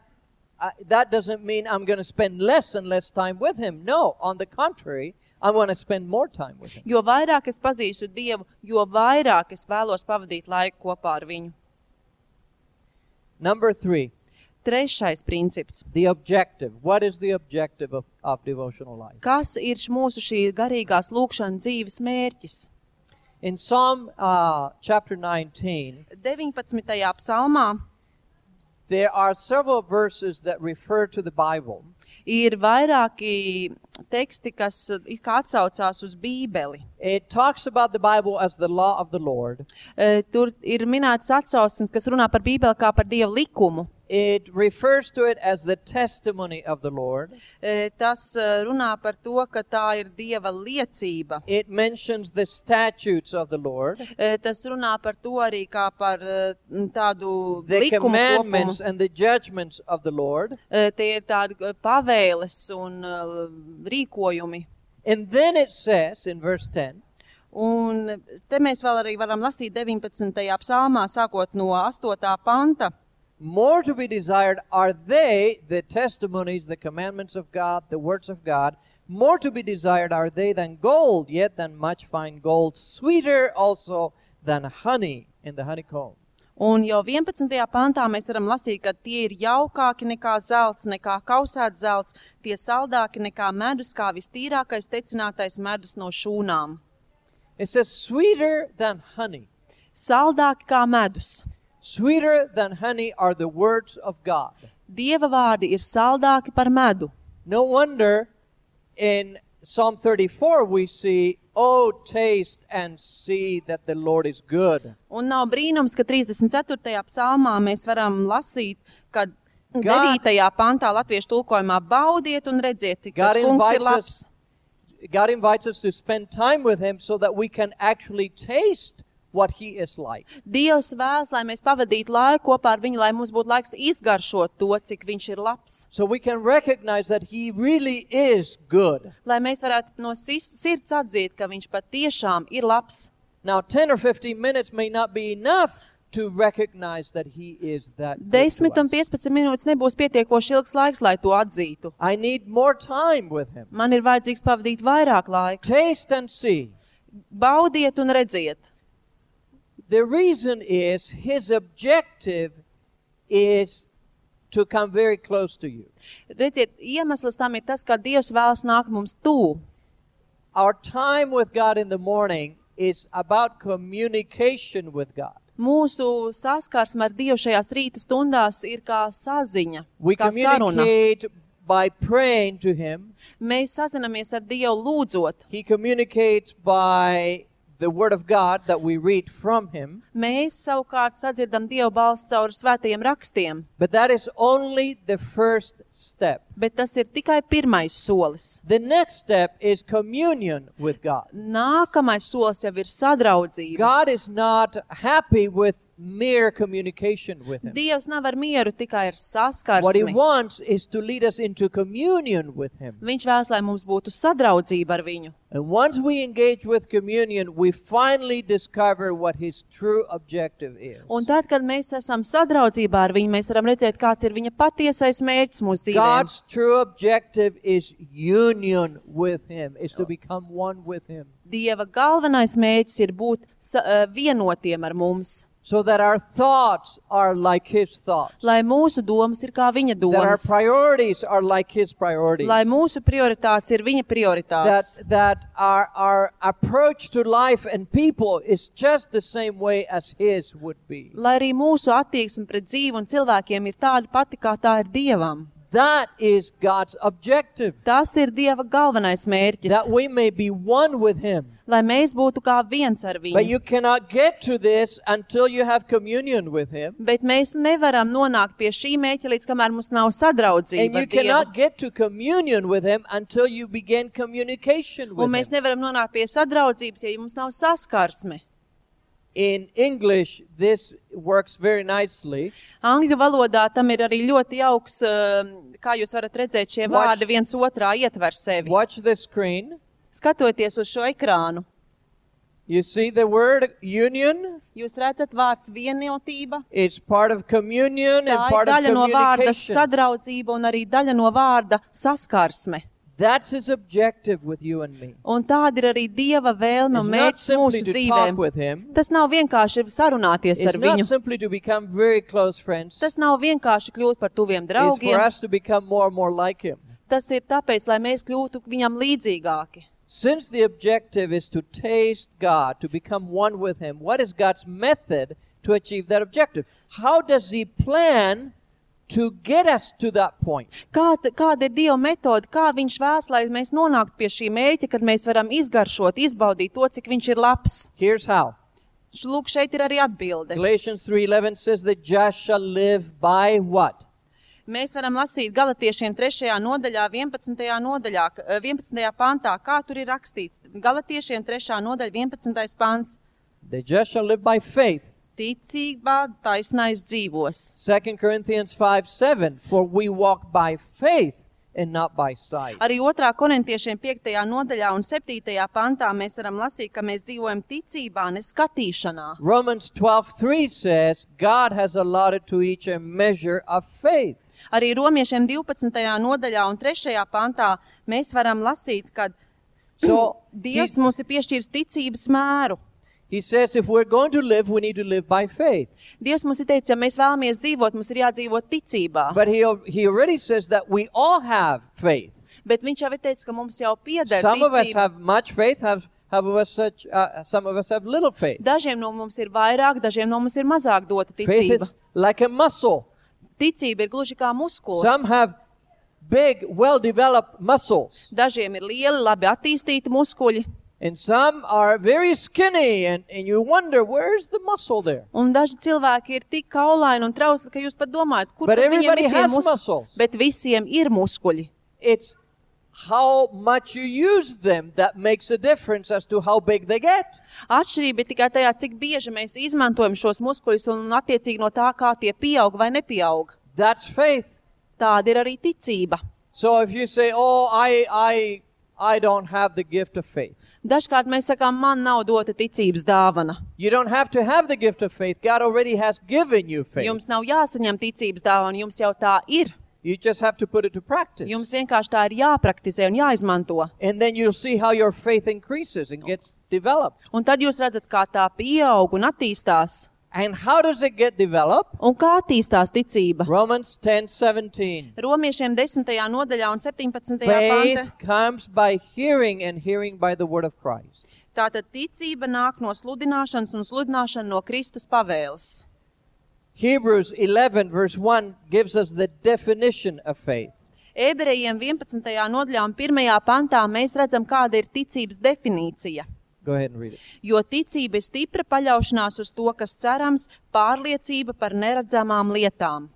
I, that doesn't mean I'm going to spend less and less time with Him. No, on the contrary, I want to spend more time with Him. Jo vairāk es pazīstu Dievu, jo vairāk es vēlos pavadīt laiku kopā ar viņu. Number three, Trešais princips. the objective. What is the objective of, of devotional life? Kas ir mūsu šī garīgās lūkšana dzīves mērķis? In Psalm uh, chapter nineteen, deviņpadsmitajā psalmā there are several verses that refer to the Bible. ir vairāki teksti, kas it kā atsaucās uz Bībeli. It talks about the Bible as the law of the Lord. E, Tur ir minēts atsauksmes, kas runā par Bībeli kā par Dieva likumu. It refers to it as the testimony of the Lord. E, Tas e, runā par to, ka tā ir Dieva liecība. It mentions the statutes of the Lord, E, Tas runā par to arī kā par e, tādu the likumu commandments kopumu. and the judgments of the Lord. E, Tie ir tādi e, pavēles un e, rīkojumi. And then it says in verse ten, Un te mēs vēl arī varam lasīt deviņpadsmitajā psalmā, sākot no astotā panta. more to be desired are they, the testimonies, the commandments of God, the words of God, more to be desired are they than gold, yet than much fine gold, sweeter also than honey in the honeycomb. Un jau vienpadsmitajā pantā mēs varam lasīt, ka tie ir jaukāki nekā zelts, nekā kausēts zelts, tie saldāki nekā medus, kā vistīrākais tecinātais medus no šūnām. It says sweeter than honey. Saldāki kā medus. Sweeter than honey are the words of God. Dieva vārdi ir saldāki par medu. No wonder in Psalm thirty-four we see, oh, taste and see that the Lord is good. Un nav brīnums, ka trīsdesmit ceturtajā psalmā mēs varam lasīt, ka God- devītajā pantā latviešu tulkojumā baudiet un redziet, ka God tas kungs ir invites labs. us, God invites us to spend time with Him so that we can actually taste what He is like. Dievs vēlas, lai mēs pavadītu laiku kopā ar viņu, lai mums būtu laiks izgaršot to, cik viņš ir labs. So we can recognize that He really is good. Lai mēs varētu no sis- sirds atzīt, ka viņš patiešām ir labs. Now, ten or fifteen minutes may not be enough to recognize that He is that good Desmit to un us. piecpadsmit minūtes nebūs pietiekoši ilgs laiks, lai to atzītu. I need more time with Him. Man ir vajadzīgs pavadīt vairāk laika. Taste and see. Baudiet un redziet. The reason is His objective is to come very close to you. Redziet, iemesls tam ir tas, ka Dievs vēlas nākt mums tū. Our time with God in the morning is about communication with God. Mūsu saskarsme ar Dievu šajās rīta stundās ir kā saziņa, We kā saruna. communicate by praying to Him. Mēs sazinamies ar Dievu lūdzot. He communicates by the Word of God that we read from Him. Mēs savukārt sadzirdam Dievu balsi caur svētajiem rakstiem, But that is only the first step. bet tas ir tikai pirmais solis. The next step is communion with God. Nākamais solis jau ir sadraudzība. God is not happy with mere communication with Him. Dievs nav ar mieru tikai ar What He saskarsmi. wants is to lead us into communion with Him. Viņš vēlas, lai mums būtu sadraudzība ar viņu. And once we engage with communion, we finally discover what His true objective is. Un tad, kad mēs esam sadraudzībā ar viņu, mēs varam redzēt, kāds ir viņa patiesais mērķis mūsu dzīvēm. God's true objective is union with Him, is to become one with Him. Dieva galvenais mērķis ir būt sa- eh, vienotiem ar mums. so that our thoughts are like His thoughts, lai mūsu domas ir kā viņa that our domas, priorities are like His priorities, lai mūsu prioritātes ir viņa that, prioritātes, that our, our approach to life and people is just the same way as His would be. lai arī mūsu attieksme pret dzīvi un cilvēkiem ir tāda pati, kā tā ir Dievam. That is God's objective, Tas ir Dieva galvenais mērķis, that we may be one with Him. lai mēs būtu kā viens ar But viņu. you cannot get to this until you have communion with Him. Bet mēs nevaram nonākt pie šī mērķa, līdz kamēr mums nav And sadraudzība you ar Dievu. cannot get to communion with Him until you begin communication Un with mēs Him. nevaram nonākt pie sadraudzības, ja mums nav saskarsme. In English, this works very nicely. Angļu valodā tam ir arī ļoti jauks, um, kā jūs varat redzēt, šie Watch- vārdi viens otrā ietver sevi. Watch the screen. Skatoties uz šo ekrānu, You see the word union? jūs redzat vārds vienotība, It's part of communion and tā ir part of daļa no vārda communication. sadraudzība un arī daļa no vārda saskarsme. That's His objective with you and me. Un tāda ir arī Dieva vēlme un It's not mērķis simply mūsu to dzīvēm. talk with Him. Tas nav vienkārši sarunāties It's ar not viņu. simply to become very close friends. Tas nav vienkārši kļūt par tuviem It's for draugiem. us to become more and more like Him. Tas ir tāpēc, lai mēs kļūtu viņam līdzīgāki. Since the objective is to taste God, to become one with Him, what is God's method to achieve that objective? How does He plan to get us to that point? Kāda, kāda ir Dieva metode, kā viņš vēlas, lai mēs nonāktu pie šī mērķa, kad mēs varam izgaršot, izbaudīt to, cik viņš ir labs? Here's how. Lūk, šeit ir arī atbilde. Galatians three eleven says the just shall live by what? Mēs varam lasīt Galatiešiem trešajā nodaļā, vienpadsmitajā nodaļā, eh, vienpadsmitajā pantā, kā tur ir rakstīts. Galatiešiem trešā nodaļa, vienpadsmitais pants. The just shall live by faith. Ticībā taisnais dzīvos. Second Corinthians five seven, for we walk by faith and not by sight. Arī otrā Korintiešiem piektajā nodaļā un septītajā pantā mēs varam lasīt, ka mēs dzīvojam ticībā, ne skatīšanā. Romans twelve three says God has allotted to each a measure of faith. Arī Romiešiem divpadsmitajā nodaļā un trešajā pantā mēs varam lasīt, ka So Dievs he, mums ir piešķīris ticības mēru. he says if we're going to live, we need to live by faith. Dievs mums ir teicis, ja mēs vēlamies dzīvot, mums ir jādzīvot ticībā. But he, he already says that we all have faith. Bet viņš jau ir teicis, ka mums jau pieder Some of us ticība. have much faith, have, have of us such, uh, some of us have little faith. Dažiem no mums ir vairāk, dažiem no mums ir mazāk dota Faith ticība. is like a muscle. Ticība ir gluži kā muskuls. Some have big, well-developed muscles. Dažiem ir lieli, labi attīstīti muskuļi, And some are very skinny, and, and you wonder, where's the muscle there? un daži cilvēki ir tik kaulaini un trausli, ka jūs pat domājat, kur But tad viņiem everybody ir tie has muskuļi. muscles. Bet visiem ir muskuļi. It's how much you use them that makes a difference as to how big they get. Atšķirība ir tikai tajā, cik bieži mēs izmantojam šos muskuļus un attiecīgi no tā, kā tie pieaug vai nepieaug. That's faith. Tāda ir arī ticība. So if you say, oh, I, I, I don't have the gift of faith. Dažkārt mēs sakām, man nav dota ticības dāvana. You don't have to have the gift of faith. God already has given you faith. Jums nav jāsaņem ticības dāvana, jums jau tā ir. You just have to put it to practice. Jums vienkārši tā ir jāpraktizē un jāizmanto. And then you'll see how your faith increases and gets developed. Un tad jūs redzat, kā tā pieaug un attīstās. And how does it get developed? Un kā attīstās ticība? Romans ten seventeen. Romiešiem desmitajā nodaļā un septiņpadsmitajā panta. Faith comes by hearing, and hearing by the word of Christ. Tātad ticība nāk no sludināšanas un sludināšana no Kristus pavēles. Hebrews eleven verse one gives us the definition of faith. Ebrejiem vienpadsmitajā nodaļā un pirmajā pantā mēs redzam, kāda ir ticības definīcija. Go ahead and read it. Jo ticība ir stipra paļaušanās uz to, kas cerams, pārliecība par neredzamām lietām.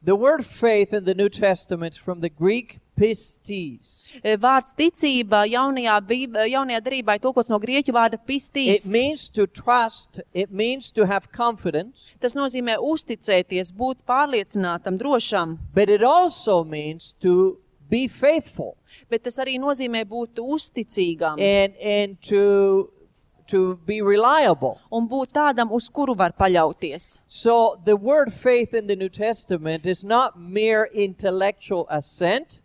The word faith in the New Testament is from the Greek pistis. Vārds ticība jaunajā, bīb, jaunajā darībā ir tulkots no grieķu vārda It pistīs. means to trust, it means to have confidence, Tas nozīmē uzticēties, būt pārliecinātam, drošam, but it also means to be faithful bet tas arī nozīmē būt uzticīgam and, and to, to be reliable. un būt tādam, uz kuru var paļauties. So the word faith in the New Testament is not mere intellectual assent.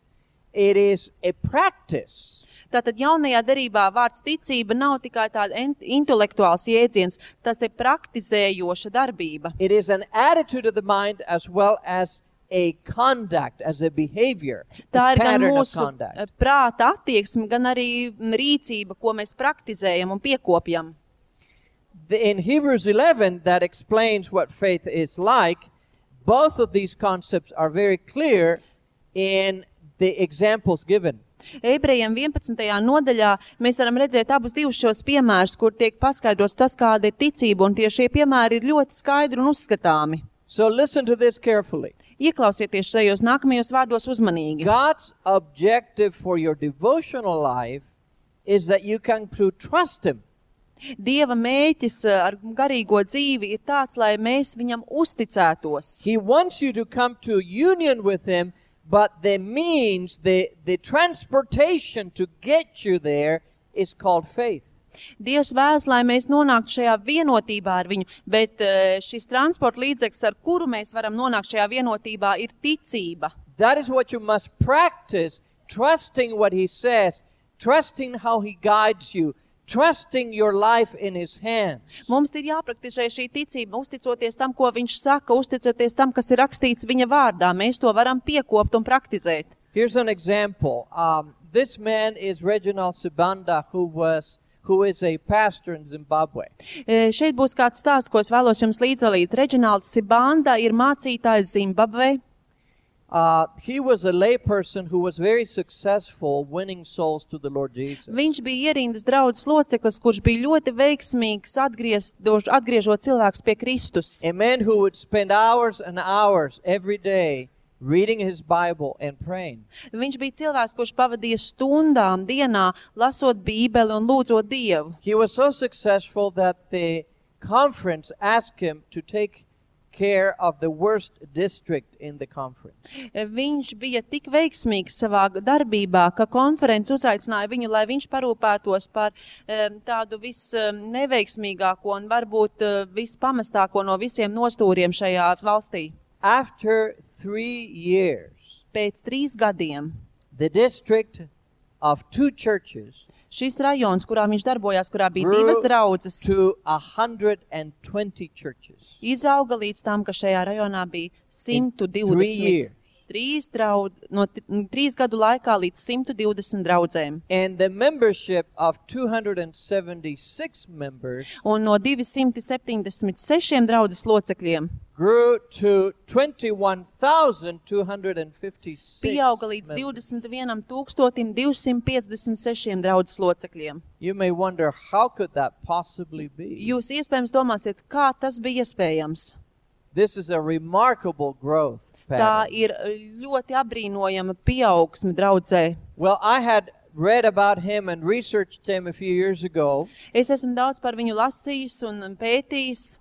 It is a practice. Tātad jaunajā derībā vārds ticība nav tikai tāda intelektuāls jēdziens, tas ir praktizējoša darbība. It is an attitude of the mind as well as a conduct, as a behavior, Tā a ir gan pattern of mūsu conduct. prāta attieksme, gan arī rīcība, ko mēs praktizējam un piekopjam. The- In Hebrews eleven, that explains what faith is like. Both of these concepts are very clear in the examples given. Ebrejiem vienpadsmitajā nodaļā mēs varam redzēt abus divus šos piemērus, kur tiek paskaidrots tas, kāda ir ticība, un tie šie piemēri ir ļoti skaidri un uzskatāmi. So listen to this carefully. Ieklausieties šajos nākamajos vārdos uzmanīgi. God's objective for your devotional life is that you come to trust Him. Dieva mēķis uh, ar garīgo dzīvi ir tāds, lai mēs viņam uzticētos. He wants you to come to union with Him, but the means, the, the transportation to get you there is called faith. Dievs vēlas, lai mēs nonāktu šajā vienotībā ar viņu, bet uh, šis transporta līdzeklis, ar kuru mēs varam nonākt šajā vienotībā, ir ticība. That is what you must practice, trusting what He says, trusting how He guides you, trusting your life in His hands. Mums ir jāpraktizē šī ticība, uzticoties tam, ko viņš saka, uzticoties tam, kas ir rakstīts viņa vārdā. Mēs to varam piekopt un praktizēt. Here's an example. Um, this man is Reginald Sibanda, who was who is a pastor in Zimbabwe. E, šeit būs kāds stāsts, ko es vēlos jums līdzdalīt. Reģinalds Sibanda ir mācītājs Zimbabvē. Uh, he was a lay person who was very successful winning souls to the Lord Jesus. Viņš bija ierindas draudzes loceklis, kurš bija ļoti veiksmīgs atgriezt, atgriežot cilvēkus pie Kristus. A man who would spend hours and hours every day reading his Bible and praying. Viņš bija cilvēks, kurš pavadīja stundām dienā, lasot Bībeli un lūdzot Dievu. He was so successful that the conference asked him to take care of the worst district in the conference. Viņš bija tik veiksmīgs savā darbībā, ka konferences uzaicināja viņu, lai viņš parūpētos par um, tādu visneveiksmīgāko un varbūt uh, vispamestāko no visiem nostūriem šajā valstī. After three years, Pēc trīs gadiem the district of two churches šis rajons, kurā viņš darbojās, kurā bija grew divas draudzes, to one hundred twenty churches izauga līdz tam, ka šajā rajonā bija in simt three divdesmit. years. Trīs, draud, no t- trīs gadu laikā līdz simt divdesmit draudzēm. And the membership of two hundred seventy-six members Un no divsimt septiņdesmit sešiem draudzes locekļiem grew to twenty-one thousand two hundred fifty-six pieauga līdz members. divdesmit viens tūkstotim divsimt piecdesmit sešiem draudzes locekļiem. You may wonder, how could that possibly be? Jūs iespējams domāsiet, kā tas bija iespējams. This is a remarkable growth Tā pattern. ir ļoti apbrīnojama pieaugsme draudzē. Well, I had read about him and researched him a few years ago, Es esmu daudz par viņu lasījis un pētījis,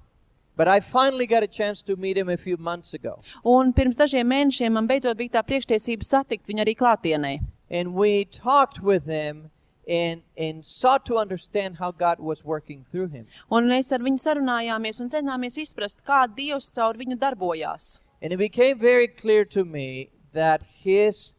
but I finally got a chance to meet him a few months ago. un pirms dažiem mēnešiem man beidzot bija tā priekštiesība satikt viņu arī klātienē. And we talked with him and, and sought to understand how God was working through him. Un mēs ar viņu sarunājāmies un centāmies izprast, kā Dievs caur viņu darbojās. And it became very clear to me that his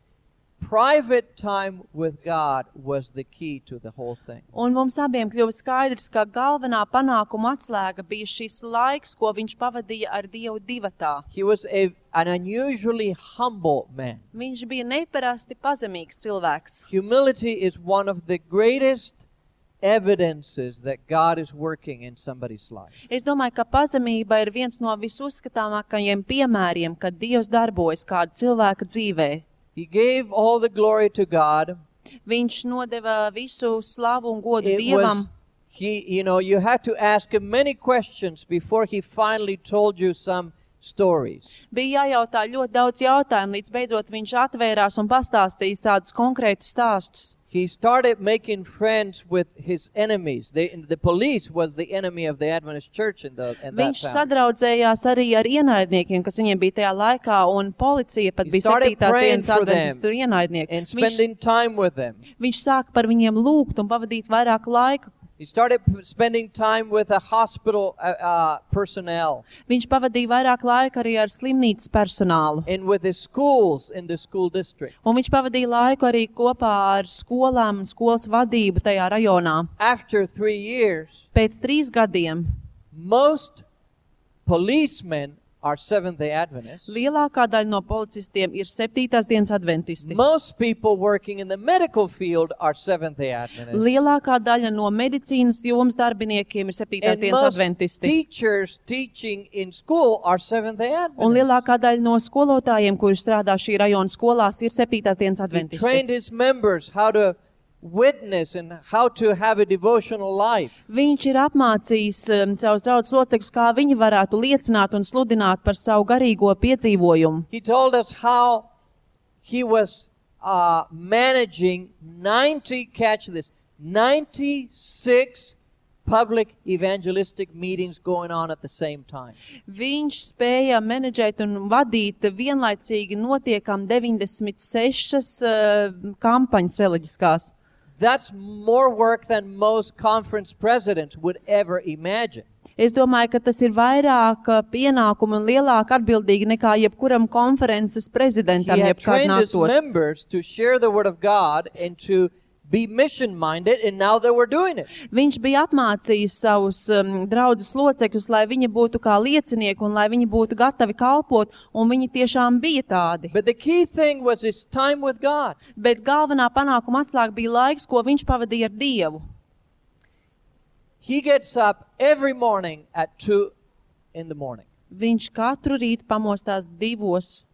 private time with God was the key to the whole thing. Un mums abiem kļuva skaidrs, ka galvenā panākuma atslēga bija šis laiks, ko viņš pavadīja ar Dievu divatā. He was a, an unusually humble man. Viņš bija neparasti pazemīgs cilvēks. Humility is one of the greatest evidences that God is working in somebody's life. Es domāju, ka pazemība ir viens no visuzskatāmākajiem piemēriem, kad Dievs darbojas kāda cilvēka dzīvē. He gave all the glory to God. Viņš nodeva visu slavu un godu It Dievam. was, he, you know, you had to ask him many questions before he finally told you some stories. Bija jājautā ļoti daudz jautājumu, līdz beidzot viņš atvērās un pastāstīja tādus konkrētus stāstus. He started making friends with his enemies. They, the police was the enemy of the Adventist church in, the, in that Viņš time. sadraudzējās arī ar ienaidniekiem, kas viņiem bija tajā laikā, un policija pat He bija started septītās praying dienas for them adventistu ienaidnieki. and Viņš, spending time with them. viņš sāka par viņiem lūgt un pavadīt vairāk laika He started p- spending time with the hospital uh, uh, personnel Viņš pavadīja vairāk laika arī ar slimnīcas personālu. and with the schools in the school district. Un viņš pavadīja laiku arī kopā ar skolām un skolas vadību tajā rajonā. After three years, Pēc trīs gadiem most policemen are Seventh-day Adventists. lielākā daļa no policistiem ir septītās dienas adventisti. Most people working in the medical field are Seventh-day Adventists. Lielākā daļa no medicīnas jomas darbiniekiem ir septītās And dienas most adventisti. teachers teaching in school are Seventh-day Un Adventists. lielākā daļa no skolotājiem, kuri strādā šī rajona skolās, ir septītās dienas He adventisti. trained his members how to witness and how to have a devotional life. Viņš ir apmācījis um, savus draudzes locekļus, kā viņi varētu liecināt un sludināt par savu garīgo piedzīvojumu. He told us how he was uh, managing ninety, catch this, ninety-six public evangelistic meetings going on at the same time. Viņš spēja menedžēt un vadīt vienlaicīgi notiekam deviņdesmit sešas uh, kampaņas reliģiskās. That's more work than most conference presidents would ever imagine. Es domāju, ka tas ir vairāk uh, pienākumu un lielāk atbildīgi nekā jebkuram konferences He prezidentam had jebkād trained his nāktos. members to share the word of God and to be mission-minded, and now they were doing it. Viņš bija apmācījis savus um, draudzes locekļus, lai viņi būtu kā liecinieki un lai viņi būtu gatavi kalpot, un viņi tiešām bija tādi. But the key thing was his time with God. Bet galvenā panākuma atslēga bija laiks, ko viņš pavadīja ar Dievu. He gets up every morning at two in the morning. Viņš katru rītu pamostās divos,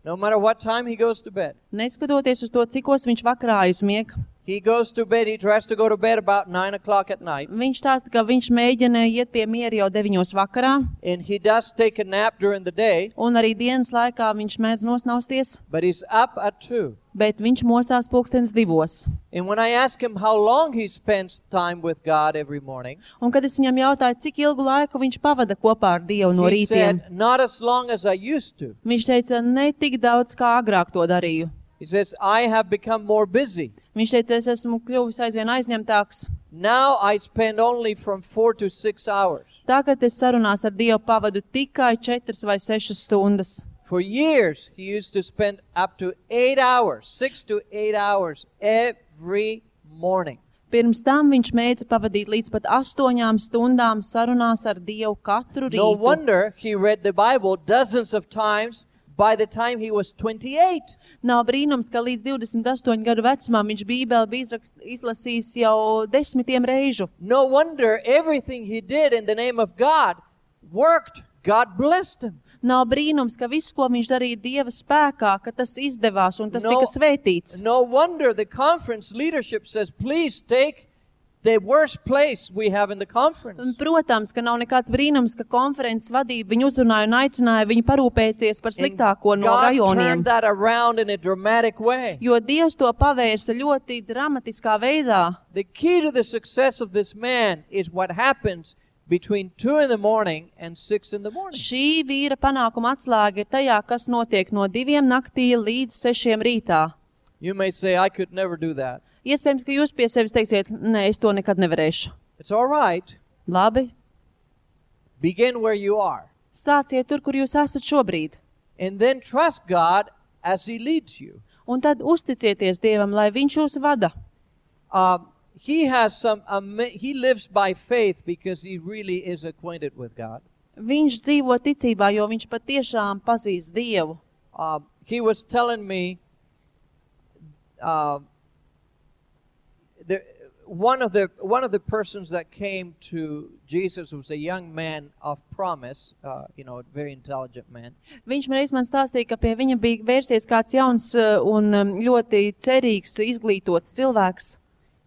No matter what time he goes to bed. neskatoties uz to, cikos viņš vakarā aizmieg. He goes to bed, he tries to go to bed about nine o'clock at night. Viņš stāsta, ka viņš mēģina iet pie miera jau deviņos vakarā, And he does take a nap during the day, un arī dienas laikā viņš mēdz nosnausties, but he's up at two. bet viņš mostās pulkstenes divos. And when I ask him how long he spends time with God every morning, Un kad es viņam jautāju, cik ilgu laiku viņš pavada kopā ar Dievu no he rītiem, said, not as long as I used to. viņš teica, ne tik daudz, kā agrāk to darīju. He says, I have become more busy. Viņš teica, es esmu kļuvis aizvien aizņemtāks. Now I spend only from four to six hours. Tagad es sarunās ar Dievu pavadu tikai četras vai sešas stundas. For years, he used to spend up to eight hours, six to eight hours every morning. Pirms tam viņš mēdza pavadīt līdz pat astoņām stundām sarunās ar Dievu katru No rītu. wonder he read the Bible dozens of times by the time he was twenty-eight. Nav brīnums, ka līdz divdesmit astoņu gadu vecumā viņš Bībeli bija izrakst, izlasījis jau desmitiem reižu. No wonder everything he did in the name of God worked. God blessed him. Nav brīnums, ka viss, ko viņš darīja Dieva spēkā, ka tas izdevās un tas No- tika svētīts. No wonder the conference leadership says, please take the worst place we have in the Un, conference. protams, ka nav nekāds brīnums, ka konferences vadība viņu uzrunāja un aicināja viņu parūpēties par And sliktāko no God rajoniem. turned that around in a dramatic way. Jo Dievs to pavērsa ļoti dramatiskā veidā. The key to the success of this man is what happens between two in the morning and six in the morning. Šī vīra panākuma atslēga ir tajā, kas notiek no diviem naktī līdz sešiem rītā. You may say, I could never do that. Iespējams, ka jūs pie sevis teiksiet, nē, es to nekad nevarēšu. It's all right. Labi, Begin where you are. stāciet tur, kur jūs esat šobrīd. And then trust God as he leads you. Un tad uzticieties Dievam, lai viņš jūs vada. Um, he has some, um, he lives by faith because he really is acquainted with God. Viņš dzīvo ticībā, jo viņš patiešām pazīst Dievu. Um, he was telling me, uh, the, one of the one of the persons that came to Jesus was a young man of promise, uh, you know, a very intelligent man. Viņš man reiz man stāstīja, ka pie viņa bija vērsies kāds jauns uh, un um, ļoti cerīgs, izglītots cilvēks.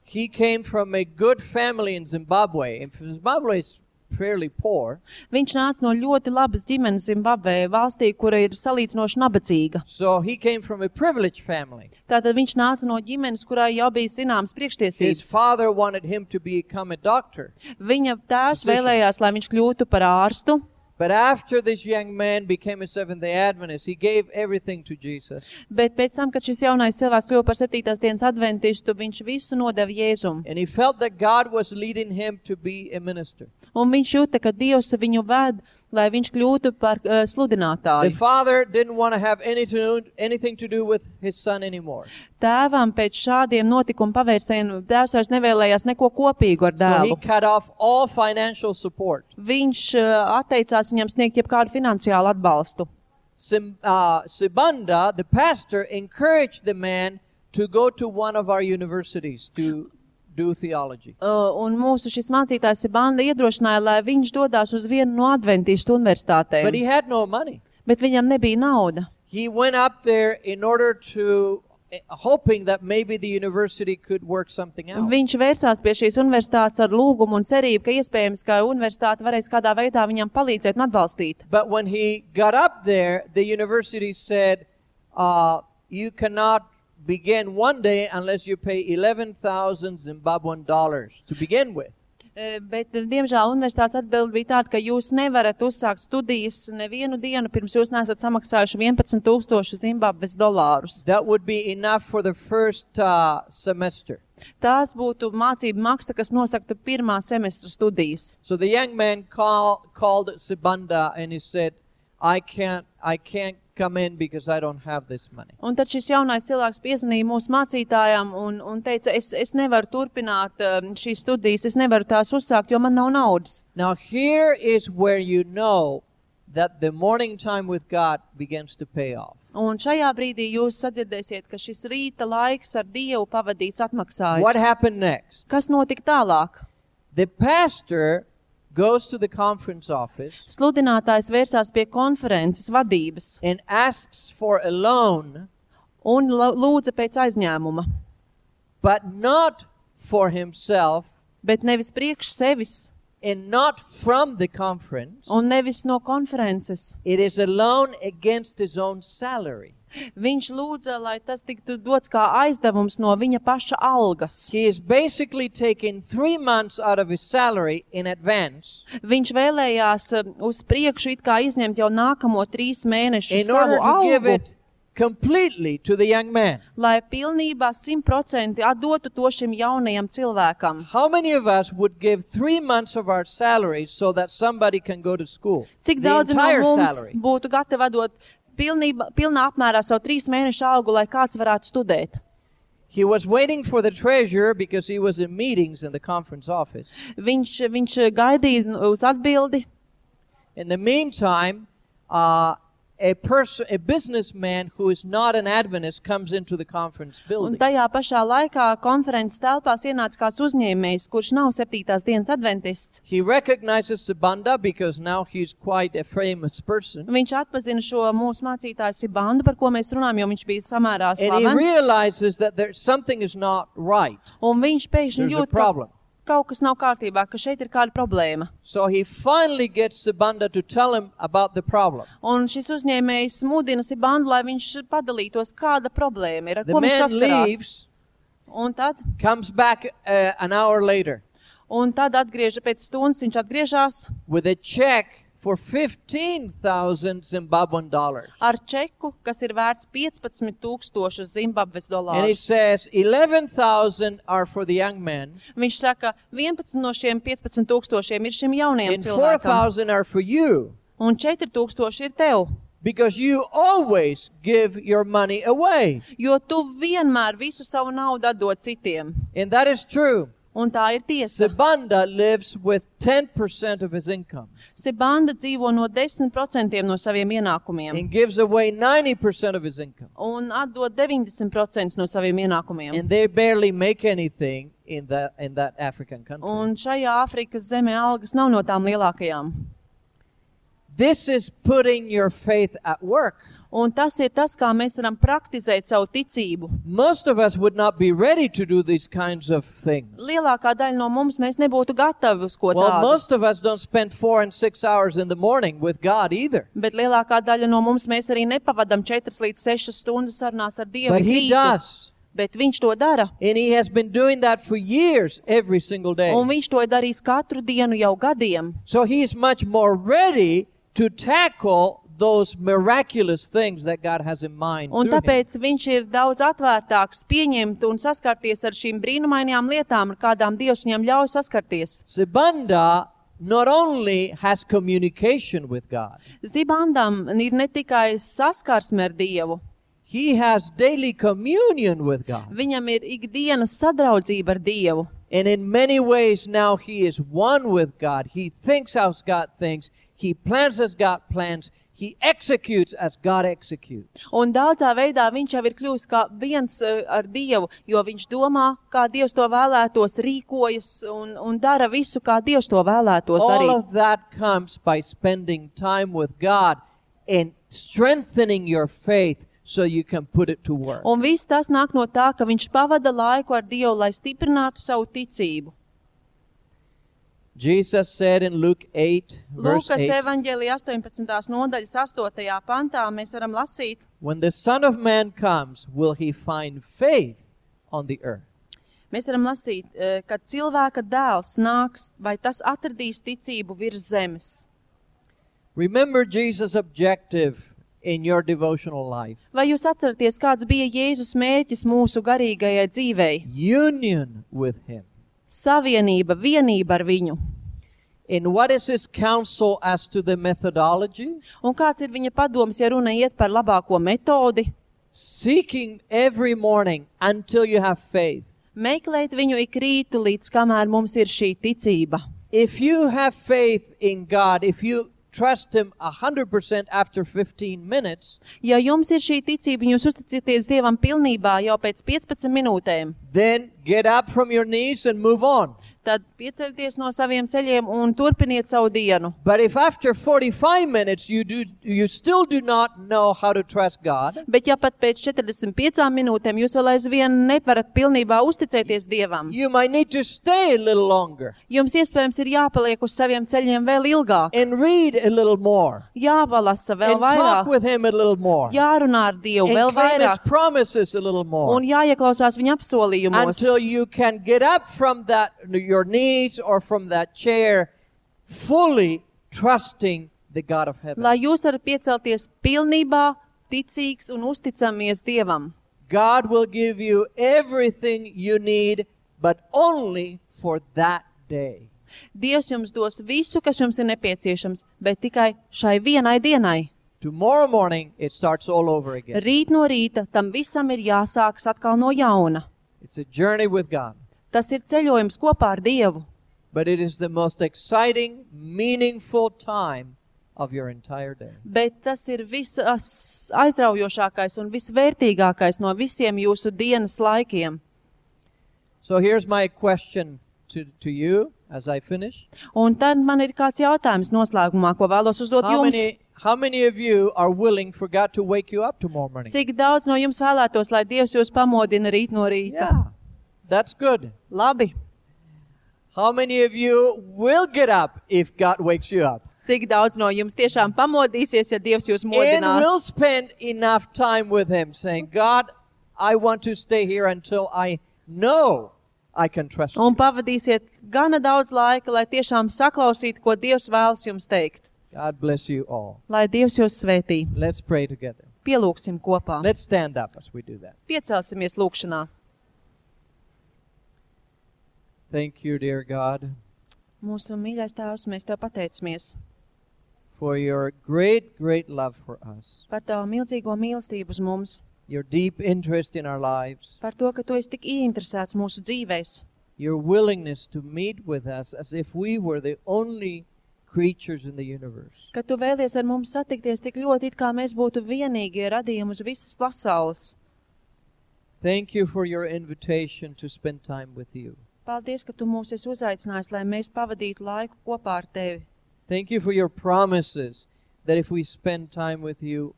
He came from a good family in Zimbabwe. And Zimbabwe is fairly poor. Viņš nāca no ļoti labas ģimenes Zimbabvē, valstī, kura ir salīdzinoši nabadzīga. So he came from a privileged family. Tātad viņš nāca no ģimenes, kurai jau bija zināmas His priekštiesības. father wanted him to become a doctor. Viņa tēvs Physician. vēlējās, lai viņš kļūtu par ārstu, But after this young man became a Seventh-day Adventist, he gave everything to Jesus. Bet pēc tam, kad šis jaunais cilvēks kļuva par septītās dienas adventistu, viņš visu nodeva Jēzum. And he felt that God was leading him to be a minister. Un viņš jūta, ka Dievs viņu ved, lai viņš kļūtu par uh, sludinātāju. The father didn't want to have any to, anything to do with his son anymore. Tēvam pēc šādiem notikumu pavērsieniem tēvs vairs nevēlējās neko kopīgu ar So he dēlu. cut off all financial support. Viņš uh, atteicās viņam sniegt jebkādu finansiālu atbalstu. Sim, uh, Sibanda, the pastor, encouraged the man to go to one of our universities to do theology. Uh, un mūsu šis mācītājs Sibanda iedrošināja, lai viņš dodās uz vienu no adventistu universitātēm. But he had no money. Bet viņam nebija nauda. He went up there in order to, hoping that maybe the university could work something out. Viņš vērsās pie šīs universitātes ar lūgumu un cerību, ka iespējams, ka universitāte varēs kādā veidā viņam palīdzēt un atbalstīt. But when he got up there, the university said, uh, you cannot begin one day unless you pay eleven thousand Zimbabwean dollars to begin with. Uh, bet, diemžēl, universitātes atbilde bija tāda, ka jūs nevarat uzsākt studijas nevienu dienu, pirms jūs neesat samaksājuši vienpadsmit tūkstoši Zimbabves dolārus. That would be enough for the first uh, semester. Tās būtu mācību maksa, kas nosaktu pirmā semestra studijas. So the young man call, called Sibanda and he said, I can't, I can't come in because I don't have this money. Un tad šis jaunais cilvēks piezvanīja mūsu mācītājām un, un teica, es, es nevaru turpināt um, šīs studijas, es nevaru tās uzsākt, jo man nav naudas. Now here is where you know that the morning time with God begins to pay off. Un šajā brīdī jūs sadzirdēsiet, ka šis rīta laiks ar Dievu pavadīts atmaksājas. What happened next? Kas notika tālāk? The pastor goes to the conference office Sludinātājs vērsās pie konferences vadības and asks for a loan, un lūdza pēc aizņēmuma, but not for himself bet nevis priekš sevis and not from the conference. un nevis no konferences. It is a loan against his own salary. Viņš lūdza, lai tas tiktu dots kā aizdevums no viņa paša algas. He is basically taking three months out of his salary in advance Viņš vēlējās uh, uz priekšu it kā izņemt jau nākamo trīs mēnešu in order savu to give algu, it completely to the young man. lai pilnībā simt procenti atdotu to šim jaunajam cilvēkam. How many of us would give three months of our salary so that somebody can go to school? Cik The daudz no entire mums salary. būtu gatavi atdot pilnībā, pilnā apmērā savu trīs mēnešu algu, lai kāds varētu studēt? He was waiting for the treasurer because he was in meetings in the conference office. Viņš, viņš gaidīja uz atbildi. In the meantime, uh, a person, a businessman who is not an Adventist comes into the conference Un building. tajā pašā laikā konferences telpās ienāca kāds uzņēmējs, kurš nav septītās dienas adventists. He recognizes Sibanda because now he's quite a famous person. Viņš atpazina šo mūsu mācītāju Sibandu, par ko mēs runājam, jo viņš bija samērā And he slavens. realizes that there, something is not right. Un viņš pēkšņi There's a jūt, ka problem. kaut kas nav kārtībā, ka šeit ir kāda problēma. So he finally gets Sibanda to tell him about the problem. Un šis uzņēmējs mudina Sibandu, lai viņš padalītos, kāda problēma ir, ar The ko viņš man saskarās. leaves, Un tad, comes back uh, an hour later un tad atgrieža pēc stundas, viņš atgriežās with a check for fifteen thousand Zimbabwean dollars. ar čeku, kas ir vērts piecpadsmit tūkstošus Zimbabves And he dolārus. says eleven thousand are for the young man Viņš saka, vienpadsmit no šiem piecpadsmit tūkstošiem ir šim jaunajam and four cilvēkam, thousand are for you un četri tūkstoši ir tev, because you always give your money away. jo tu vienmēr visu savu naudu atdod citiem. And that is true. Un tā ir tiesa. Sibanda lives with ten percent of his income Sibanda dzīvo no desmit procentiem no saviem ienākumiem and gives away ninety percent of his income. un atdod deviņdesmit procenti no saviem ienākumiem. And they barely make anything in that, in that African country. Un šajā Āfrikas zemē algas nav no tām lielākajām. This is putting your faith at work. Un tas ir tas, kā mēs varam praktizēt savu ticību. Most of us would not be ready to do these kinds of things. Lielākā daļa no mums mēs nebūtu gatavi uz ko Well, tādu. most of us don't spend four and six hours in the morning with God either. Bet lielākā daļa no mums mēs arī nepavadam četras līdz sešas stundas sarunās ar Dievu. But ik he rītu. does. Bet viņš to dara. And he has been doing that for years, every single day. Un viņš to ir darījis katru dienu jau gadiem. So he is much more ready to tackle those miraculous things that God has in mind Un to him. tāpēc viņš ir daudz atvērtāks pieņemt un saskarties ar šīm brīnumainajām lietām, ar kādām Dievs viņam ļauj saskarties. Zibanda not only has communication with God, Zibandam ir ne tikai saskarsme ar Dievu, he has daily communion with God. viņam ir ikdienas sadraudzība ar Dievu. And in many ways now he is one with God. He thinks as God thinks. He plans as God plans. He executes as God executes. Un daudzā veidā viņš jau ir kļūst kā viens uh, ar Dievu, jo viņš domā, kā Dievs to vēlētos, rīkojas un, un dara visu, kā Dievs to vēlētos All darīt. of that comes by spending time with God and strengthening your faith so you can put it to work. Un viss tas nāk no tā, ka viņš pavada laiku ar Dievu, lai stiprinātu savu ticību. Jesus said in Luke eight, verse Lūkas eight, evaņģēlija astoņpadsmitās nodaļas astotajā pantā mēs varam lasīt: when the Son of Man comes, will he find faith on the earth? Mēs varam lasīt, eh, kad cilvēka dēls nāks, vai tas atradīs ticību virs zemes. Remember Jesus' objective in your devotional life. Vai jūs atceraties, kāds bija Jēzus mērķis mūsu garīgajai dzīvei? Union with him. Savienība, vienība ar viņu. And what is his counsel as to the methodology? Un kāds ir viņa padoms, ja runa iet par labāko metodi? Seeking every morning until you have faith. Meklēt viņu ik rītu, līdz kamēr mums ir šī ticība. If you have faith in God, if you trust him one hundred percent after fifteen minutes, Ja jums ir šī ticība, jūs uzticieties Dievam pilnībā jau pēc piecpadsmit minūtēm, then get up from your knees and move on. tad piecelties no saviem ceļiem un turpiniet savu dienu. But if after forty-five minutes you do, you still do not know how to trust God, Bet ja pat pēc četrdesmit piecām minūtēm jūs vēl aizvien nevarat pilnībā uzticēties Dievam, you might need to stay a little longer jums iespējams ir jāpaliek uz saviem ceļiem vēl ilgāk, and read a little more jāvalasa vēl and talk vairāk, with him a little more jārunā ar Dievu vēl and claim his vairāk promises a little more un jāieklausās viņa apsolījumos, until you can get up from that your knees or from that chair fully trusting the God of heaven. lai jūs varat piecelties pilnībā ticīgs un uzticamies Dievam. God will give you everything you need, but only for that day. Dievs jums dos visu, kas jums ir nepieciešams, bet tikai šai vienai dienai. Tomorrow morning, it starts all over again. Rīt no rīta tam visam ir jāsākas atkal no jauna. It's a journey with God, Tas ir ceļojums kopā ar Dievu, but it is the most exciting, meaningful time of your entire day. bet tas ir viss aizraujošākais un visvērtīgākais no visiem jūsu dienas laikiem. So here's my question to, to you as I finish. Un tad man ir kāds jautājums noslēgumā, ko vēlos uzdot How jums. many, how many of you are willing for God to wake you up tomorrow morning? Cik daudz no jums vēlētos, lai Dievs jūs pamodina rīt no rīta? Yeah, that's good. Labi. How many of you will get up if God wakes you up? Cik daudz no jums tiešām pamodīsies, ja Dievs jūs And will modinās? spend enough time with him saying, God, I want to stay here until I know I can trust you. Un pavadīsiet gana daudz laika, lai tiešām saklausītu, ko Dievs vēlas jums teikt. God bless you all. Lai Dievs jūs svētī. Let's pray together. Pielūksim kopā. Let's stand up as we do that. Piecelsimies lūkšanā. Thank you, dear God, Mūsu mīļais Tēvs, mēs Tev pateicamies for your great, great love for us, par Tavu milzīgo mīlestību uz mums, your deep interest in our lives, par to, ka Tu esi tik ieinteresēts mūsu dzīvēs, your willingness to meet with us as if we were the only creatures in the universe. ka Tu vēlies ar mums satikties tik ļoti, it kā mēs būtu vienīgie radījumi uz visas pasaules. Thank you for your invitation to spend time with you. Paldies, ka Tu mūs esi uzaicinājis, lai mēs pavadītu laiku kopā ar Tevi. Thank you for your promises that if we spend time with you,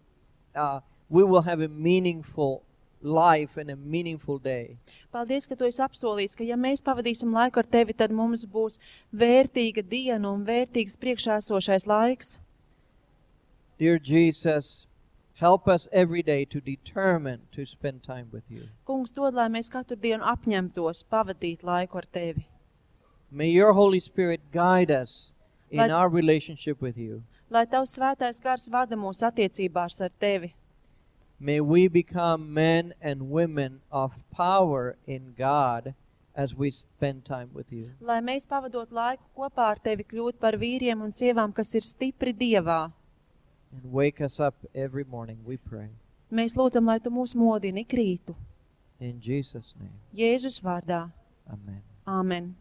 uh, we will have a meaningful life and a meaningful day. Paldies, ka Tu esi apsolījis, ka ja mēs pavadīsim laiku ar Tevi, tad mums būs vērtīga diena un vērtīgs priekšā esošais laiks. Dear Jesus, help us every day to determine to spend time with you. Kungs, dod, lai mēs katru dienu apņemtos pavadīt laiku ar Tevi. May your Holy Spirit guide us in Lai- our relationship with you. Lai Tavs svētais gars vada mūs attiecībās ar Tevi. May we become men and women of power in God as we spend time with you. Lai mēs pavadot laiku kopā ar Tevi kļūt par vīriem un sievām, kas ir stipri Dievā. And wake us up every morning, we pray. Mēs lūdzam, lai Tu mūs modini ik rītu. In Jesus' name, Jēzus vārdā. amen. Āmen.